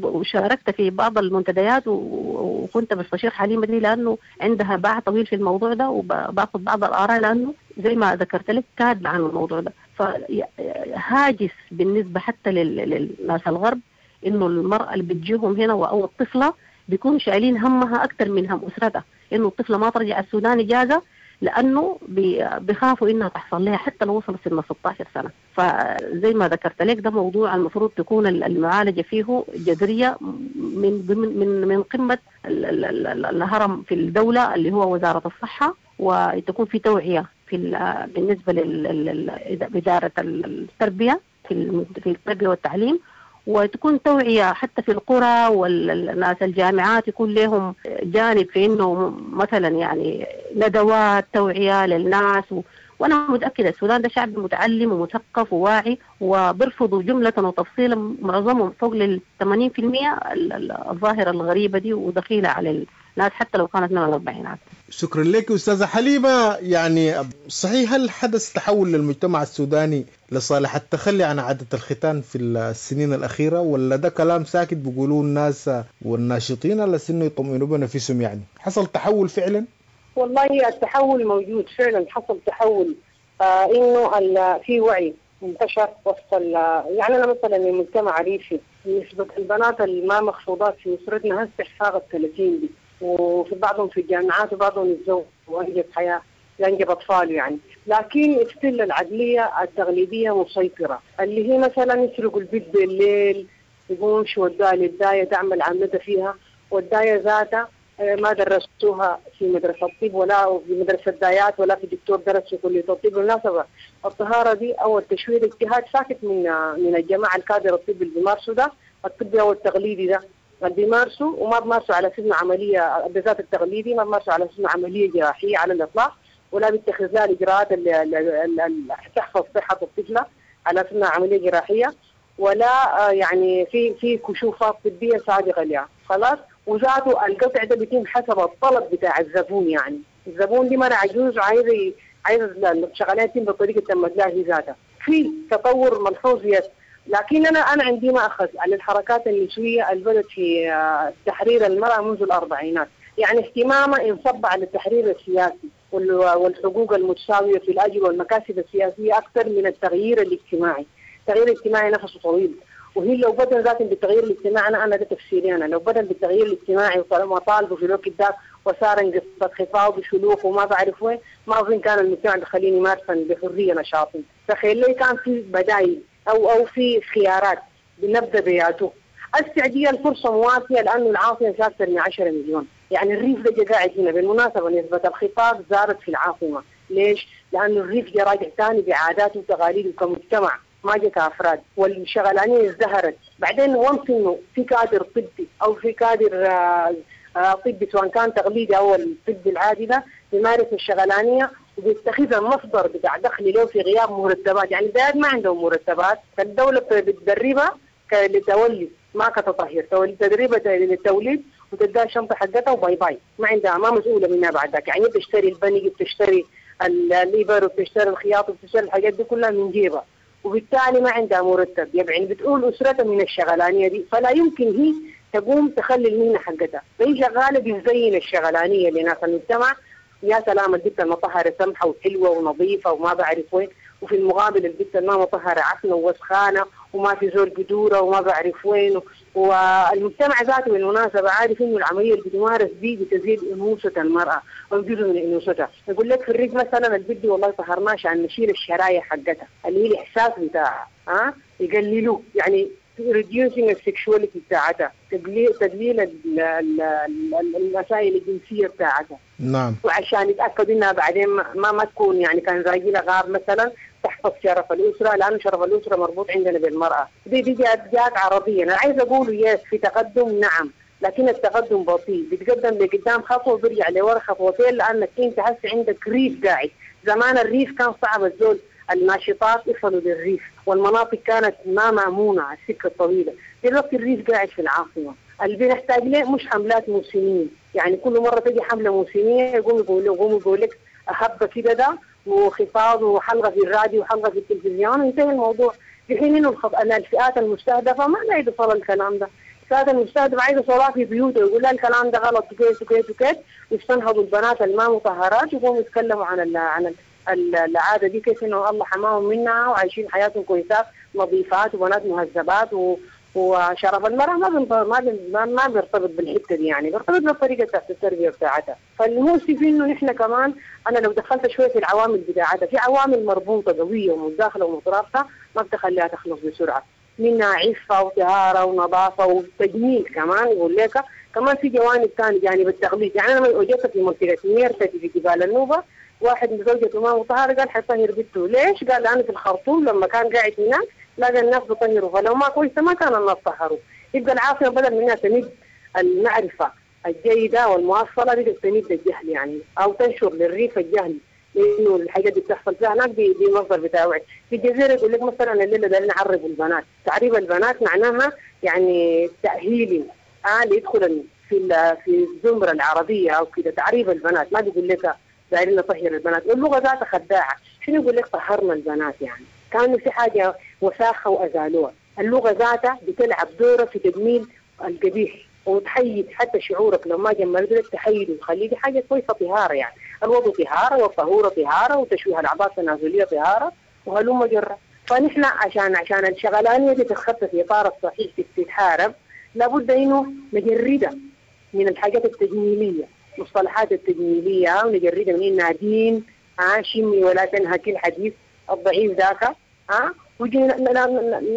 S18: وشاركت في بعض المنتديات، وكنت بستشير حليمة دي لأنه عندها باع طويل في الموضوع ده، وباخذ بعض الآراء لأنه زي ما ذكرت لك كاتبة عن الموضوع ده. فهاجس بالنسبة حتى للناس الغرب إنه المرأة اللي بتجيهم هنا أو الطفلة بيكون شايلين همها أكثر من هم أسرتها، إنه الطفلة ما ترجع السودان إجازة لأنه بيخافوا إنها تحصل لها حتى لو وصلت سن 16 سنة. فزي ما ذكرت لك ده موضوع المفروض تكون المعالجة فيه جذرية من من من قمة الهرم في الدولة اللي هو وزارة الصحة، وتكون في توعية في بالنسبة لإدارة التربية في التربية والتعليم، وتكون توعية حتى في القرى والناس الجامعات يكون لهم جانب في إنه مثلا يعني ندوات توعية للناس وأنا متأكدة السودان ده شعب متعلم ومثقف وواعي، وبرفضوا جملة وتفصيلا معظمهم فوق 80% الظاهرة الغريبة دي ودخيلة على الناس حتى لو كانت من الأربعينات.
S16: شكرا لك أستاذة حليمة. يعني صحيح هل حدث تحول للمجتمع السوداني لصالح التخلي عن عادة الختان في السنين الأخيرة، ولا ده كلام ساكت بيقولوه الناس والناشطين على سنه يطمئنوا بنفسهم؟ يعني حصل تحول فعلا؟
S17: والله التحول موجود فعلا، حصل تحول إنه في وعي انتشر وسط يعني أنا مثلا من مجتمع ريفي نسبة البنات اللي ما مخفوضات في أسرتنا هسه فاقت 30 دي، وفي بعضهم في الجامعات وبعضهم يتزوج وأنجب حياة ينجب أطفال يعني، لكن استل العدلية التغليبية مسيطرة، اللي هي مثلا يسرقوا البيت بالليل، يقوموا يمشوا وداها للداية تعمل عملتها فيها، والداية ذاتها ما درستوها في مدرسة الطب ولا في مدرسة دايات ولا في دكتور درس في كلية الطب. بالمناسبة الطهارة دي أو التشويه اجتهاد ساكت من الجماعة الكادر الطبي اللي بيمارسوا ده، الطبي أو التقليدي ده اللي بيمارسوا، وما بيمارسوا على سن عملية، بالذات التقليدي ما بيمارسوا على سن عملية جراحية على الإطلاق، ولا بيتخذ لها الإجراءات اللي تحفظ صحة الطفلة على سن عملية جراحية، ولا يعني في كشوفات طبية سابقة لها خلاص. وذاته القطع ده بيتم حسب الطلب بتاع الزبون، يعني الزبون دي مرة عجوز عايز الشغلانة تتم بالطريقة تمت لها هي ذاتها. في تطور ملحوظ لكن انا عندي مأخذ على الحركات النسوية اللي بدت في تحرير المرأة منذ الأربعينات، يعني اهتمامها انصب على التحرير السياسي والحقوق المتساوية في الأجر والمكاسب السياسية أكثر من التغيير الاجتماعي. التغيير الاجتماعي نفسه طويل، وهي لو بدأ ذات بالتغيير الاجتماعي، أنا ده تفسيري، أنا لو بدأ بالتغيير الاجتماعي وطالبه في الوقت ده وصار قصة خطاب وشلوخ وما بعرف وين، ما أظن كان المجتمع بخليني يمارسا بحرية نشاطي. تخيل لي كان في بدايل أو في خيارات بنبدأ بياته. السعودية الفرصة مواتية لأنه العاصمة فيها أكثر من 10 مليون، يعني الريف ده قاعد هنا. بالمناسبة نسبة الخطاب زادت في العاصمة، ليش؟ لأنه الريف جا راجع ثاني بعاداته وتقاليده كمجتمع، ما جا كأفراد، والشغلانية ازدهرت. بعدين وانس إنه في كادر طبي أو في كادر طبي سواء كان تقليدي أو الطب العادي ده بيمارس الشغلانية وبيتخذها مصدر بتاع دخل له في غياب مرتبات، يعني البلد ما عندهم مرتبات، فالدولة بتدربها للتولي ما كتطهير، تدريبها للتوليد وتديها الشنطة حقتها و bye bye، ما عندها، ما مسؤولة منها بعد ذاك. يعني بتشتري البنج وبتشتري الإبر وبتشتري الخياط وبتشتري الحاجات دي كلها من جيبها، وبالتالي ما عندها مرتب، يعني بتقول أسرتها من الشغلانية دي، فلا يمكن هي تقوم تخلي المهنة حقتها، فهي شغالة بتزين الشغلانية لناس المجتمع. يا سلام البنت المطهرة سمحة وحلوة ونظيفة وما بعرف وين، وفي المقابل البنت ما مطهرة عفنة ووسخانة وما في زول بدورة وما بعرف وين. والمجتمع ذاته بالمناسبة عارف إنه العملية اللي بتمارس دي بتزيد أنوثة المرأة أو جزء من أنوثتها. يقول لك في الريف مثلا البنت والله طهرناها عشان نشيل الشرايح حقتها اللي هي الإحساس بتاعها، يقللوه، يعني reducing ال sexuality بتاعتها، تقليل المسائل الجنسية بتاعتها.
S16: نعم.
S17: وعشان يتأكدوا إنها بعدين ما تكون يعني كان راجلها غاب مثلا تحفظ شرف الأسرة، لأنه شرف الأسرة مربوط عندنا بالمرأة. دي جات عربية. أنا عايز أقول yes في تقدم، نعم، لكن التقدم بطيء، بيتقدم لقدام خطوة وبيرجع لورا خطوتين، لأنك أنت هسه عندك ريف قاعد. زمان الريف كان صعب الزول، الناشطات يصلوا للريف والمناطق كانت ما مأمونة على السكة الطويلة. دلوقتي الريف قاعد في العاصمة. اللي بنحتاج له مش حملات موسمية، يعني كل مرة تجي حملة موسمية يقوم يقول لك هبة كده ده وخفاض وحلقة في الراديو وحلقة في التلفزيون وينتهي الموضوع. في حين إنه الفئات المستهدفة ما عايزة تصل الكلام ده، الفئات المستهدفة عايزة صلاة في بيوتها ويقول لها الكلام ده غلط وكيف وكيف وكيف، يستنهضوا البنات الما مطهرات ويقوموا يتكلموا عن العادة دي كيف إنه الله حماهم منها وعايشين حياتهم كويسات نظيفات وبنات مهذبات وشرف المرأة ما بيرتبط بالحتة دي، يعني بيرتبط بالطريقة بتاعت التربية بتاعتها. فالمؤسف إنه نحن كمان، أنا لو دخلت شوية في العوامل بتاعتها، في عوامل مربوطة قوية ومتداخلة ومترابطة ما بتخليها تخلص بسرعة، منها عفة وطهارة ونظافة وتجميل كمان. يقول لك كمان في جوانب ثانية، جانب التغليظ. يعني أنا وجدت في منطقة ميرتة في جبال النوبة واحد من زوجته ما مطهرة قال حيطهر بنته. ليش؟ قال لأنه في الخرطوم لما كان قاعد هناك لقى الناس بيطهروا، فلو ما كويسة ما كان الناس طهروا. يبقى العاصمة بدل منها تمد المعرفة الجيدة والمواصلة بقت تمد الجهل، يعني أو تنشر للريف الجهل، لأنه الحاجات دي بتحصل فيها هناك دي مصدر بتاع وعي. في الجزيرة يقول لك مثلا الليلة ده نعرب البنات، تعريب البنات معناها يعني تأهيل ليدخل في الزمرة العربية أو كده. تعريب البنات ما بيقول لك دايرين نطهر البنات، واللغة ذاتها خداعة. شنو يقول لك طهرنا البنات؟ يعني كانوا في حاجة وساخة وأزالوها. اللغة ذاتها بتلعب دورة في تجميل القبيح وتحيد حتى شعورك لو ما جملت لك تحيد وتخليه حاجة كويسة طهارة. يعني الوضوء طهارة والطهورة طهارة وتشويه الأعضاء التنازلية طهارة وهلم جرة. فنحن عشان الشغلانية دي تتخطى في إطار الصحيح تتحارب، لابد إنه نجردها من الحاجات التجميلية، مصطلحات التجميلية، ونجردها من إنها دين شمي ولا تنهكي الحديث الضعيف ذاك، وجي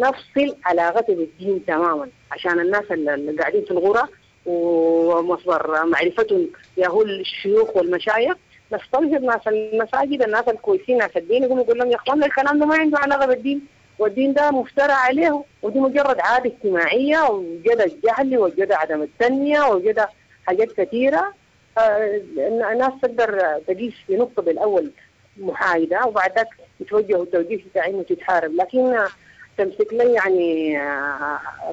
S17: نفصل علاقته بالدين تماما، عشان الناس اللي قاعدين في الغرة ومصدر معرفتهم يا هو الشيوخ والمشايخ. نستنهض ناس المساجد، الناس الكويسين، ناس الدين، يقوموا يقول لهم يا اخوان الكلام ده ما عنده علاقة بالدين، والدين ده مفترى عليه، ودي مجرد عادة اجتماعية وجدى الجهل وجدى عدم التنمية وجدى حاجات كثيرة. الناس تقدر تقيس في نقطة بالاول محايدة وبعد ذاك يتوجهوا التوجيه بتاع انه تتحارب، لكن تمسك لي يعني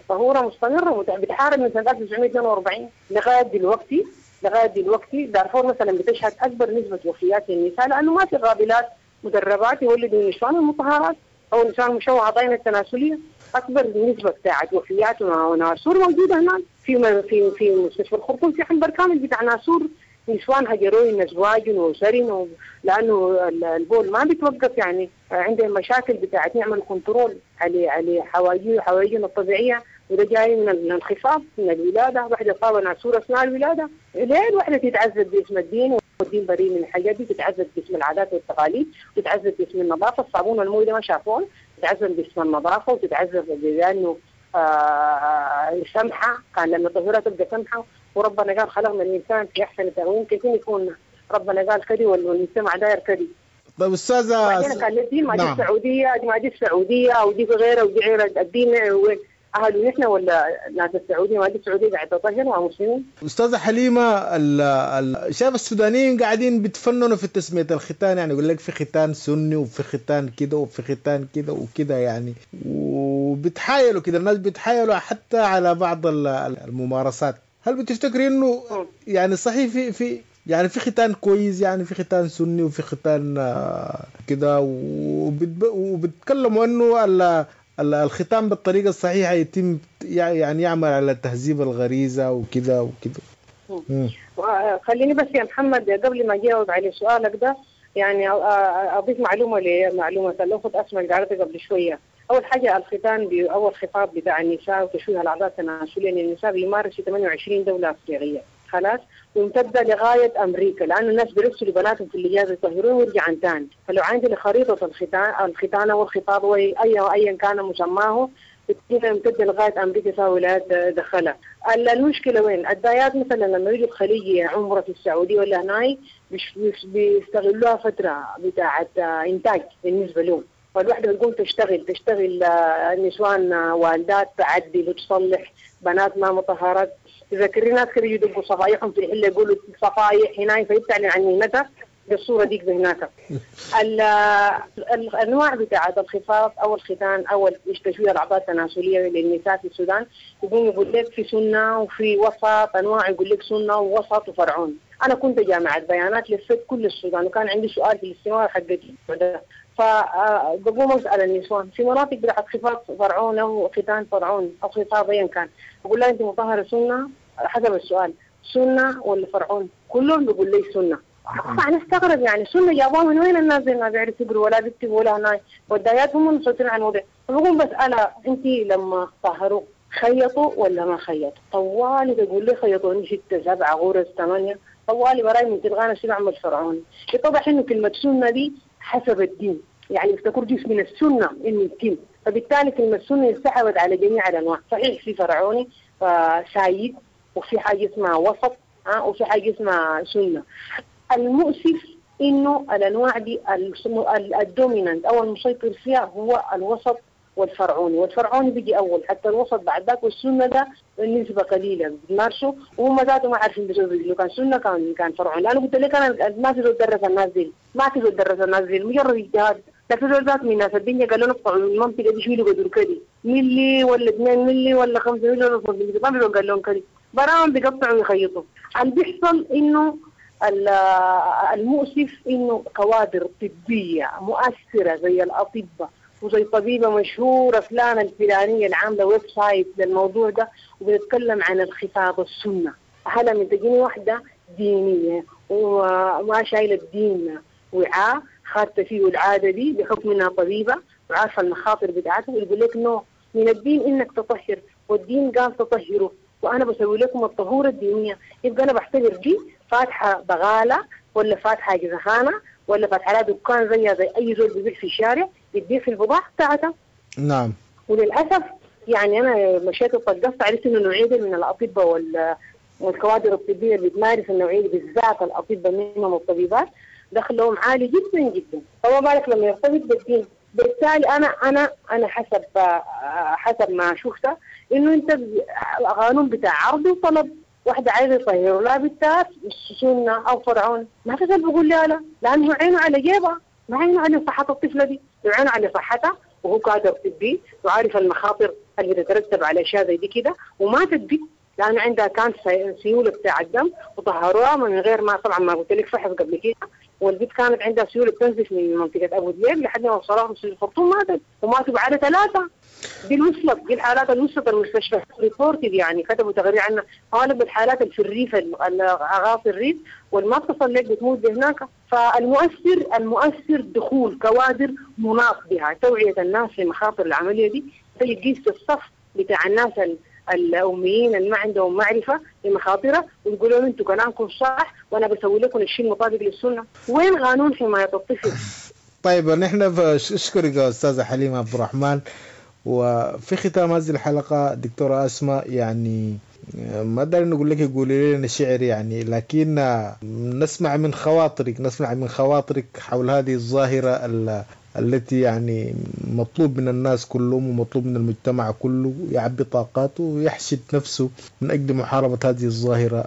S17: طهوره مستمرة بتحارب من سنة 1942 لغاية دلوقتي. لغاية دلوقتي دارفور مثلا بتشهد اكبر نسبه وفيات للنساء، لانه ما في قابلات مدربات يولدوا النسوان المطهرات او النسوان المشوهه ضينا التناسلية. اكبر نسبه بتاعت وفيات وناسور موجودة هناك في في في مستشفى الخرطوم، في عنبر كامل بتاع ناسور، نسوان هجروا ازواج واسر لانه البول ما بيتوقف، يعني عندهم مشاكل بتاعت نعمل control على حوايجنا الطبيعية، وده جاي من الانخفاض من الولادة. واحدة صابه ناسور اثناء الولادة، ليه الواحدة تتعذب باسم الدين؟ والدين بريء من الحاجات دي، تتعذب باسم العادات والتقاليد، وتتعذب باسم النظافة، الصابون والمويه ده ما شافوه، تتعذب باسم النظافة وتتعذب لانه سمحه، كان لما الطهوره تبقى سمحه، وربنا قال خلقنا الانسان في احسن تقويم، كيف يكون ربنا قال كذي والمجتمع داير كذي.
S16: طيب استاذه،
S17: بعدين كان الدين ما دي السعودية، ما دي السعودية او دي غيرها ودي غيرها، الدين اهله نحن ولا ناس السعودية؟ ما دي السعودية قاعدة تطهر مع مسلمين.
S16: استاذه حليمة، شايف السودانيين قاعدين بيتفننوا في تسميه الختان، يعني يقول لك في ختان سني وفي ختان كده وفي ختان كده وكده، يعني وبتحايلوا كده، الناس بتحايلوا حتى على بعض الممارسات. هل بتفتكري انه يعني صحيح في يعني في ختان كويس، يعني في ختان سني وفي ختان كده، وبتكلموا انه الختان بالطريقة الصحيحة يتم يعني يعمل على تهذيب الغريزة وكده وكده؟
S17: خليني بس يا محمد قبل ما أجاوب على سؤالك ده يعني أضيف معلومة لمعلومة الأخت أسماء اللي قالتها قبل شوية. أول حاجة الختان أول خطاب بتاع النساء وتشويه الأعضاء التناسلية للنساء بيمارس في 28 دولة أفريقية، خلاص، وامتد لغاية أمريكا، لأن الناس بيرسلوا بناتهم في الإجازة يطهرون ويرجعوا تاني. فلو عندنا خريطة الختان والخطاب أيا كان مسماه يمتد لغاية أمريكا سواء ولايات دخلها. المشكلة وين؟ الدايات مثلا لما يجوا الخليجي عمرة في السعودية ولا هناي بيستغلوها فترة بتاعة إنتاج بالنسبة لهم، فالوحدة بتقوم تشتغل نسوان والدات تعدل وتصلح، بنات ما مطهرات. تذكري ناس كانوا يدقوا صفايحهم في الحلة يقولوا صفايح هناك، فيبتعلن عن مهنتها بالصورة ديك هناك. الأنواع بتاعة الخفاف أو الختان أو تشويه الأعضاء التناسلية للنساء في السودان، يقوم يقول لك في سنة وفي وسط، أنواع يقول لك سنة ووسط وفرعون. أنا كنت جامعة بيانات لفت كل السودان، وكان عندي سؤال في الاستمارة حقتي ده، فبقوم أسأل النسوان في مناطق بتاعت خفاف فرعون أو ختان فرعون أو خفاف أيا كان، بقول لها أنت مطهرة سنة؟ حسب السؤال، سنة ولا فرعون؟ كلهم بيقول لي سنة. أنا استغرب يعني سنة جابوها من وين؟ الناس زي ما بيعرفوا يقروا ولا بيكتبوا ولا هناك، والدايات هم المسيطرين على الموضوع. فبقوم بسألها أنت لما طهروا خيطوا ولا ما خيطوا؟ طوالي بيقول لي خيطوني 6 7 غرز 8، طوالي براي من تلغانا شو بعمل فرعون. اتضح إنه كلمة سنة دي حسب الدين، يعني افتكر جزء من السنة إنه يتم، فبالتالي كلمة سنة انسحبت على جميع الأنواع. صحيح في فرعوني فسايد، وفي حاجة اسمها وسط، وفي حاجة اسمها سنة. المؤسف إنه الأنواع دي ال dominant أو المسيطر فيها هو الوسط والفرعوني، والفرعوني بيجي أول حتى الوسط بعد ذاك، والسنة ده النسبة قليلة بيمارسوا، وهم ذاته ما عارفين بيسووا كان سنة كان فرعوني. أنا قلت لك أنا ما في زول درس الناس دي، ما في زول درس الناس دي، مجرد اجتهاد. لكن زول ذات من الناس الدنيا قالوا نقطعوا المنطقة دي شيلوا قدر كذي ملي ولا 2 ملي ولا 5 ملي ولا 5 ملي، ما في زول قال لهم كذي، براهم بيقطعوا ويخيطوا. اللي بيحصل إنه المؤسف إنه كوادر طبية مؤثرة زي الأطباء وزي طبيبة مشهورة فلانة الفلانية اللي عاملة website للموضوع ده وبتتكلم عن الخفاض السنة. هلا من تجيني واحدة دينية وما شايلة الدين وعاء خدت فيه العادة دي بحكم إنها طبيبة وعارفة المخاطر بتاعتها، ويقول لك نو من الدين إنك تطهر، والدين قال تطهره، وأنا بسوي لكم الطهورة الدينية. يبقى أنا بعتبر دي فاتحة بغالة ولا فاتحة جزخانة ولا فاتحة لها دكان زيها زي أي زول بيبيع في الشارع، بتبيع في البضاعة بتاعتها.
S16: نعم.
S17: وللأسف يعني أنا مشيت وطقست عرفت إنه نوعية من الأطباء والكوادر الطبية اللي بتمارس النوعية بالذات الاطباء منهم والطبيبات دخلهم عالي جدا جدا، فما بالك لما يرتبط بالدين. بالتالي انا انا انا حسب ما شفت انه انت قانون بتاع عرض وطلب، واحدة عايزة يطهروا لها بنتها سنة أو فرعون، ما في زول بيقول لها لا، لأنه عينه على جيبها، ما عينه على صحة الطفلة دي، لو عينه على صحتها وهو كادر طبي وعارف المخاطر اللي بتترتب على أشياء زي دي كده، وماتت بنت لأنه عندها كان سيولة بتاع الدم وطهروها من غير ما، طبعا ما قلت لك فحص قبل كده، والبنت كانت عندها سيولة بتنزف من منطقة أبو دليل لحد ما وصلوها في الخرطوم ماتت، وماتوا بعد 3. دي الوصلت، دي الحالات اللي وصلت المستشفى reported، يعني كتبوا تقرير عنها. غالب الحالات اللي في الريف، اغاصي الريف والما بتصل لك بتموت هناك. فالمؤثر المؤثر دخول كوادر مناط بها، توعية الناس لمخاطر العملية دي، تجي تقيس في الصف بتاع الناس الأميين اللي ما عندهم معرفة بمخاطرها ويقولوا لهم انتوا كلامكم صح وانا بسوي لكم الشيء المطابق للسنة. وين قانون حماية الطفل؟
S16: طيب نحن اشكرك يا استاذة حليمة عبد الرحمن. وفي ختام هذه الحلقة دكتورة أسماء، يعني ما أقدر نقول لك قولي لنا شعر يعني، لكن نسمع من خواطرك، نسمع من خواطرك حول هذه الظاهرة التي يعني مطلوب من الناس كلهم ومطلوب من المجتمع كله يعبي طاقاته ويحشد نفسه من أجل محاربة هذه الظاهرة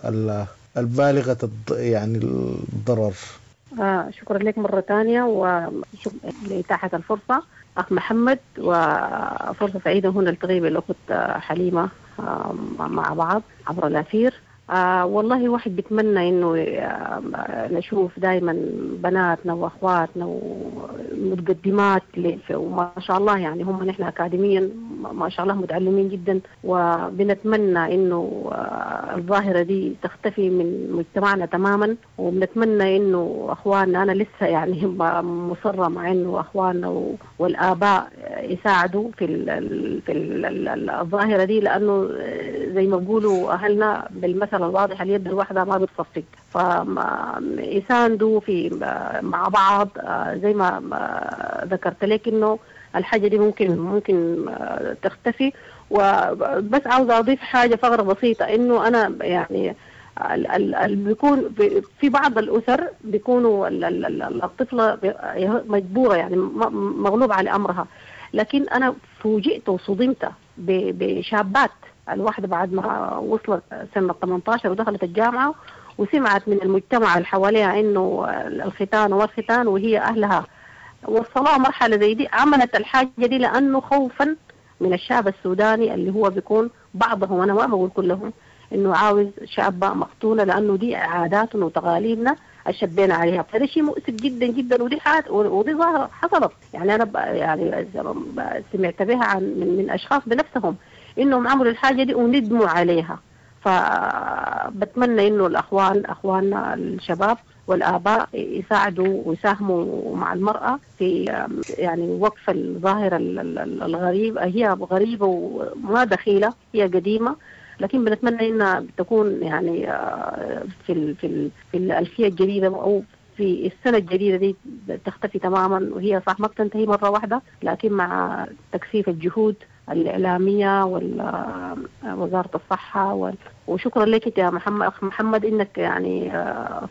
S16: البالغة يعني الضرر.
S18: شكرا لك مرة ثانية وشكرا لإتاحة الفرصة أخ محمد، وفرصة سعيدة هنا نلتقي بالأخت حليمة مع بعض عبر الأثير. والله واحد بيتمنى إنه نشوف دائما بناتنا وأخواتنا ومتقدمات، وما شاء الله يعني هم نحن أكاديميا ما شاء الله متعلمين جدا، وبنتمنى إنه الظاهرة دي تختفي من مجتمعنا تماما. وبنتمنى إنه أخواننا، أنا لسه يعني مصرة مع إنه أخواننا والآباء يساعدوا في الظاهرة دي، لأنه زي ما بيقولوا أهلنا بالمثل الواضح اليد الواحدة ما بتصفق، فيساندوا في مع بعض. زي ما ذكرت لك إنه الحاجة دي ممكن تختفي. وبس عاوزة أضيف حاجة فقرة بسيطة، إنه أنا يعني بيكون في بعض الأسر بيكونوا الطفلة مجبورة يعني مغلوب على أمرها، لكن أنا فوجئت وصدمت بشابات، الواحدة بعد ما وصلت سنة 18 ودخلت الجامعة وسمعت من المجتمع اللي حواليها إنه الختان والختان، وهي أهلها وصلوها مرحلة زي دي، عملت الحاجة دي لأنه خوفا من الشعب السوداني اللي هو بيكون بعضهم، أنا ما بقول كلهم، إنه عاوز شابة مختونة لأنه دي عاداتنا وتقاليدنا الشبينا عليها. فهذا شيء مؤسف جدا جدا، ودي ودي ظاهرة حصلت يعني، أنا يعني سمعت بها عن من أشخاص بنفسهم إنهم عملوا الحاجة دي وندموا عليها. فبتمنى إنه الأخوان، أخواننا الشباب والآباء، يساعدوا ويساهموا مع المرأة في يعني وقف الظاهرة الغريبة. هي غريبة وما دخيلة، هي قديمة، لكن بنتمنى إنها تكون يعني في في في الألفية الجديدة أو في السنة الجديدة دي تختفي تماما. وهي صح ما بتنتهي مرة واحدة، لكن مع تكثيف الجهود الإعلامية ووزارة الصحة وشكرا لك يا محمد، أخ محمد، إنك يعني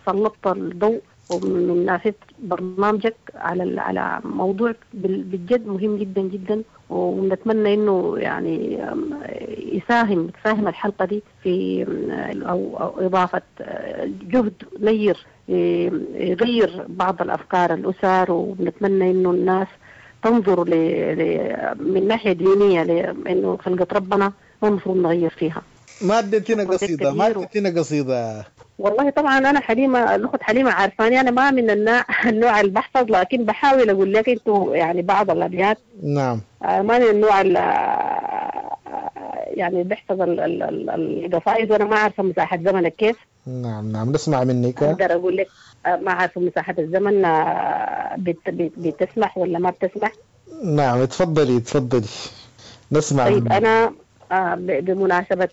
S18: سلطت الضوء ومن نافذة برنامجك على موضوع بالجد مهم جدا جدا، ونتمنى إنه يعني تساهم الحلقة دي في أو إضافة جهد نير يغير بعض الأفكار الأسر. ونتمنى إنه الناس تنظر من ناحية دينية لأنه خلقة ربنا ما المفروض نغير فيها.
S16: ما اديتينا قصيدة، ما اديتينا قصيدة.
S18: والله طبعا أنا حليمة، الأخت حليمة عارفاني أنا ما من النوع اللي بحفظ، لكن بحاول أقول لك أنتوا يعني بعض الأبيات.
S16: نعم.
S18: ما من النوع يعني بحفظ القصائد، وأنا ما عارفة مساحة زمنك كيف.
S16: نعم نعم، نسمع منك.
S18: أقدر أقول لك ما عارفة مساحة الزمن بتسمح ولا ما بتسمح.
S16: نعم تفضلي تفضلي نسمع.
S18: طيب منك. أنا بمناسبة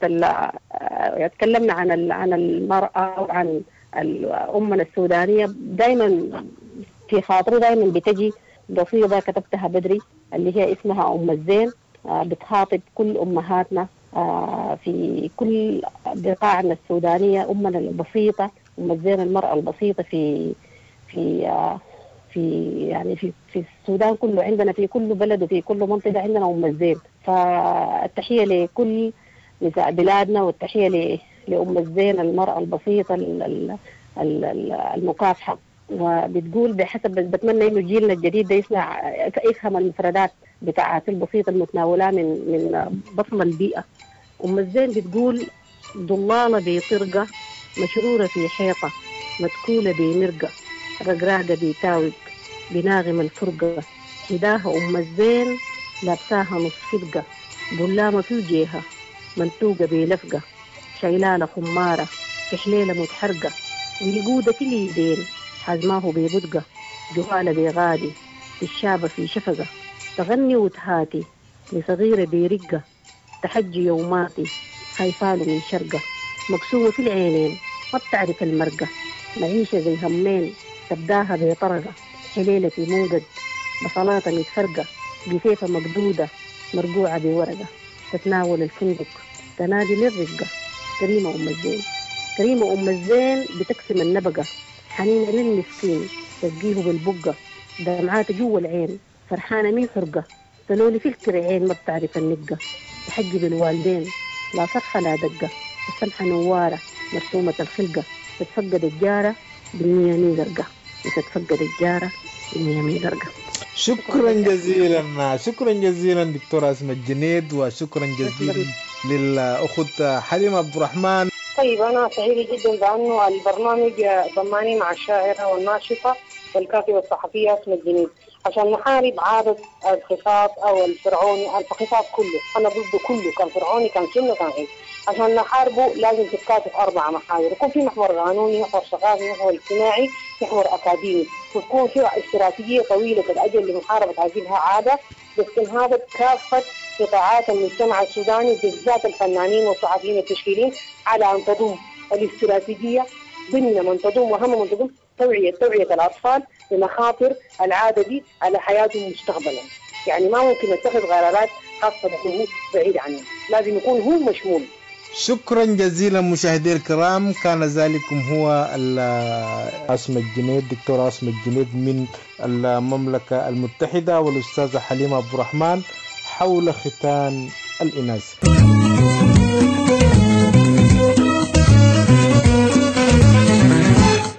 S18: تكلمنا عن المرأة وعن الأمة السودانية، دايما في خاطري دايما بتجي قصيدة كتبتها بدري اللي هي اسمها أم الزين، بتخاطب كل أمهاتنا في كل بقاعنا السودانية، أمنا البسيطة، أم الزين المرأة البسيطة في في في يعني في في السودان كله، عندنا في كل بلد وفي كل منطقة عندنا أم الزين. فالتحية لكل نساء بلادنا، والتحية لأم الزين المرأة البسيطة المكافحة. وبتقول بحسب، بتمنى إنه جيلنا الجديد ده يسمع يفهم المفردات بتاعت البسيطة المتناولة من بطن البيئة. أم الزين بتقول: ضلالة بطرقة، مشرورة في حيطة، متكولة بمرقة، رقراقة بتاوق، بناغم الفرقة، حداها أم الزين لابساها نص فرقة، ظلامة في وجيها منتوقة بلفقة، شيلالة خمارة في حليلة متحرقة، ويقودة في اليدين حزماه ببدقة، جهالة بغادي الشابة في شفقة، تغني وتهاتي لصغيرة برقة، تحجي يوماتي خايفاله من شرقة، مقسومة في العينين ما بتعرف المرقة، معيشة زي همين تبداها بطرقة، حليلة في منقد بصلاة متفرقة، بسيفة مقدودة مرقوعة بورقة، تتناول الفندق تنادي للرقة. كريمة أم الزين، كريمة أم الزين بتقسم النبقة، حنينة للمسكين تسقيه بالبقة، دمعات جوا العين فرحانة مين حرقة، تلولي في الكرعين ما بتعرف النقة، تحجي بالوالدين لا صرخة لا دقة، السمحة نوارة مرسومة الخلقة، تتفقد الجارة بالمية مية زرقة، وتتفقد الجارة بالمية مية زرقة.
S16: شكرا جزيلا، شكرا جزيلا دكتورة أسماء الجنيد، وشكرا جزيلا للأخت حليمة عبد الرحمن.
S17: طيب، أنا سعيدة جدا بأنه البرنامج ضماني مع الشاعرة والناشطة والكاتبة الصحفية أسماء الجنيد عشان نحارب عادة الخطاب أو الفرعوني، الخطاب كله أنا ضده كله، كان فرعوني كان سنة كان غير. عشان نحاربه لازم تتكاتف 4 محاور، يكون في محور قانوني، محور ثقافي، محور اجتماعي، محور أكاديمي، وتكون في استراتيجية طويلة الأجل لمحاربة هذه العادة باستنهاض كافة قطاعات المجتمع السوداني بالذات الفنانين والصحفيين والتشكيليين على أن تضم الاستراتيجية ضمن من تضم، وأهم من تضم توعية الأطفال بمخاطر العادة دي على حياتهم مستقبلا. يعني ما ممكن نتخذ قرارات خاصة به بعيد عنه، لازم يكون هو مشمول.
S16: شكرا جزيلا مشاهدي الكرام، كان ذلكم هو أسماء الجنيد، دكتورة أسماء الجنيد من المملكة المتحدة، والأستاذة حليمة عبد الرحمن حول ختان الإناث.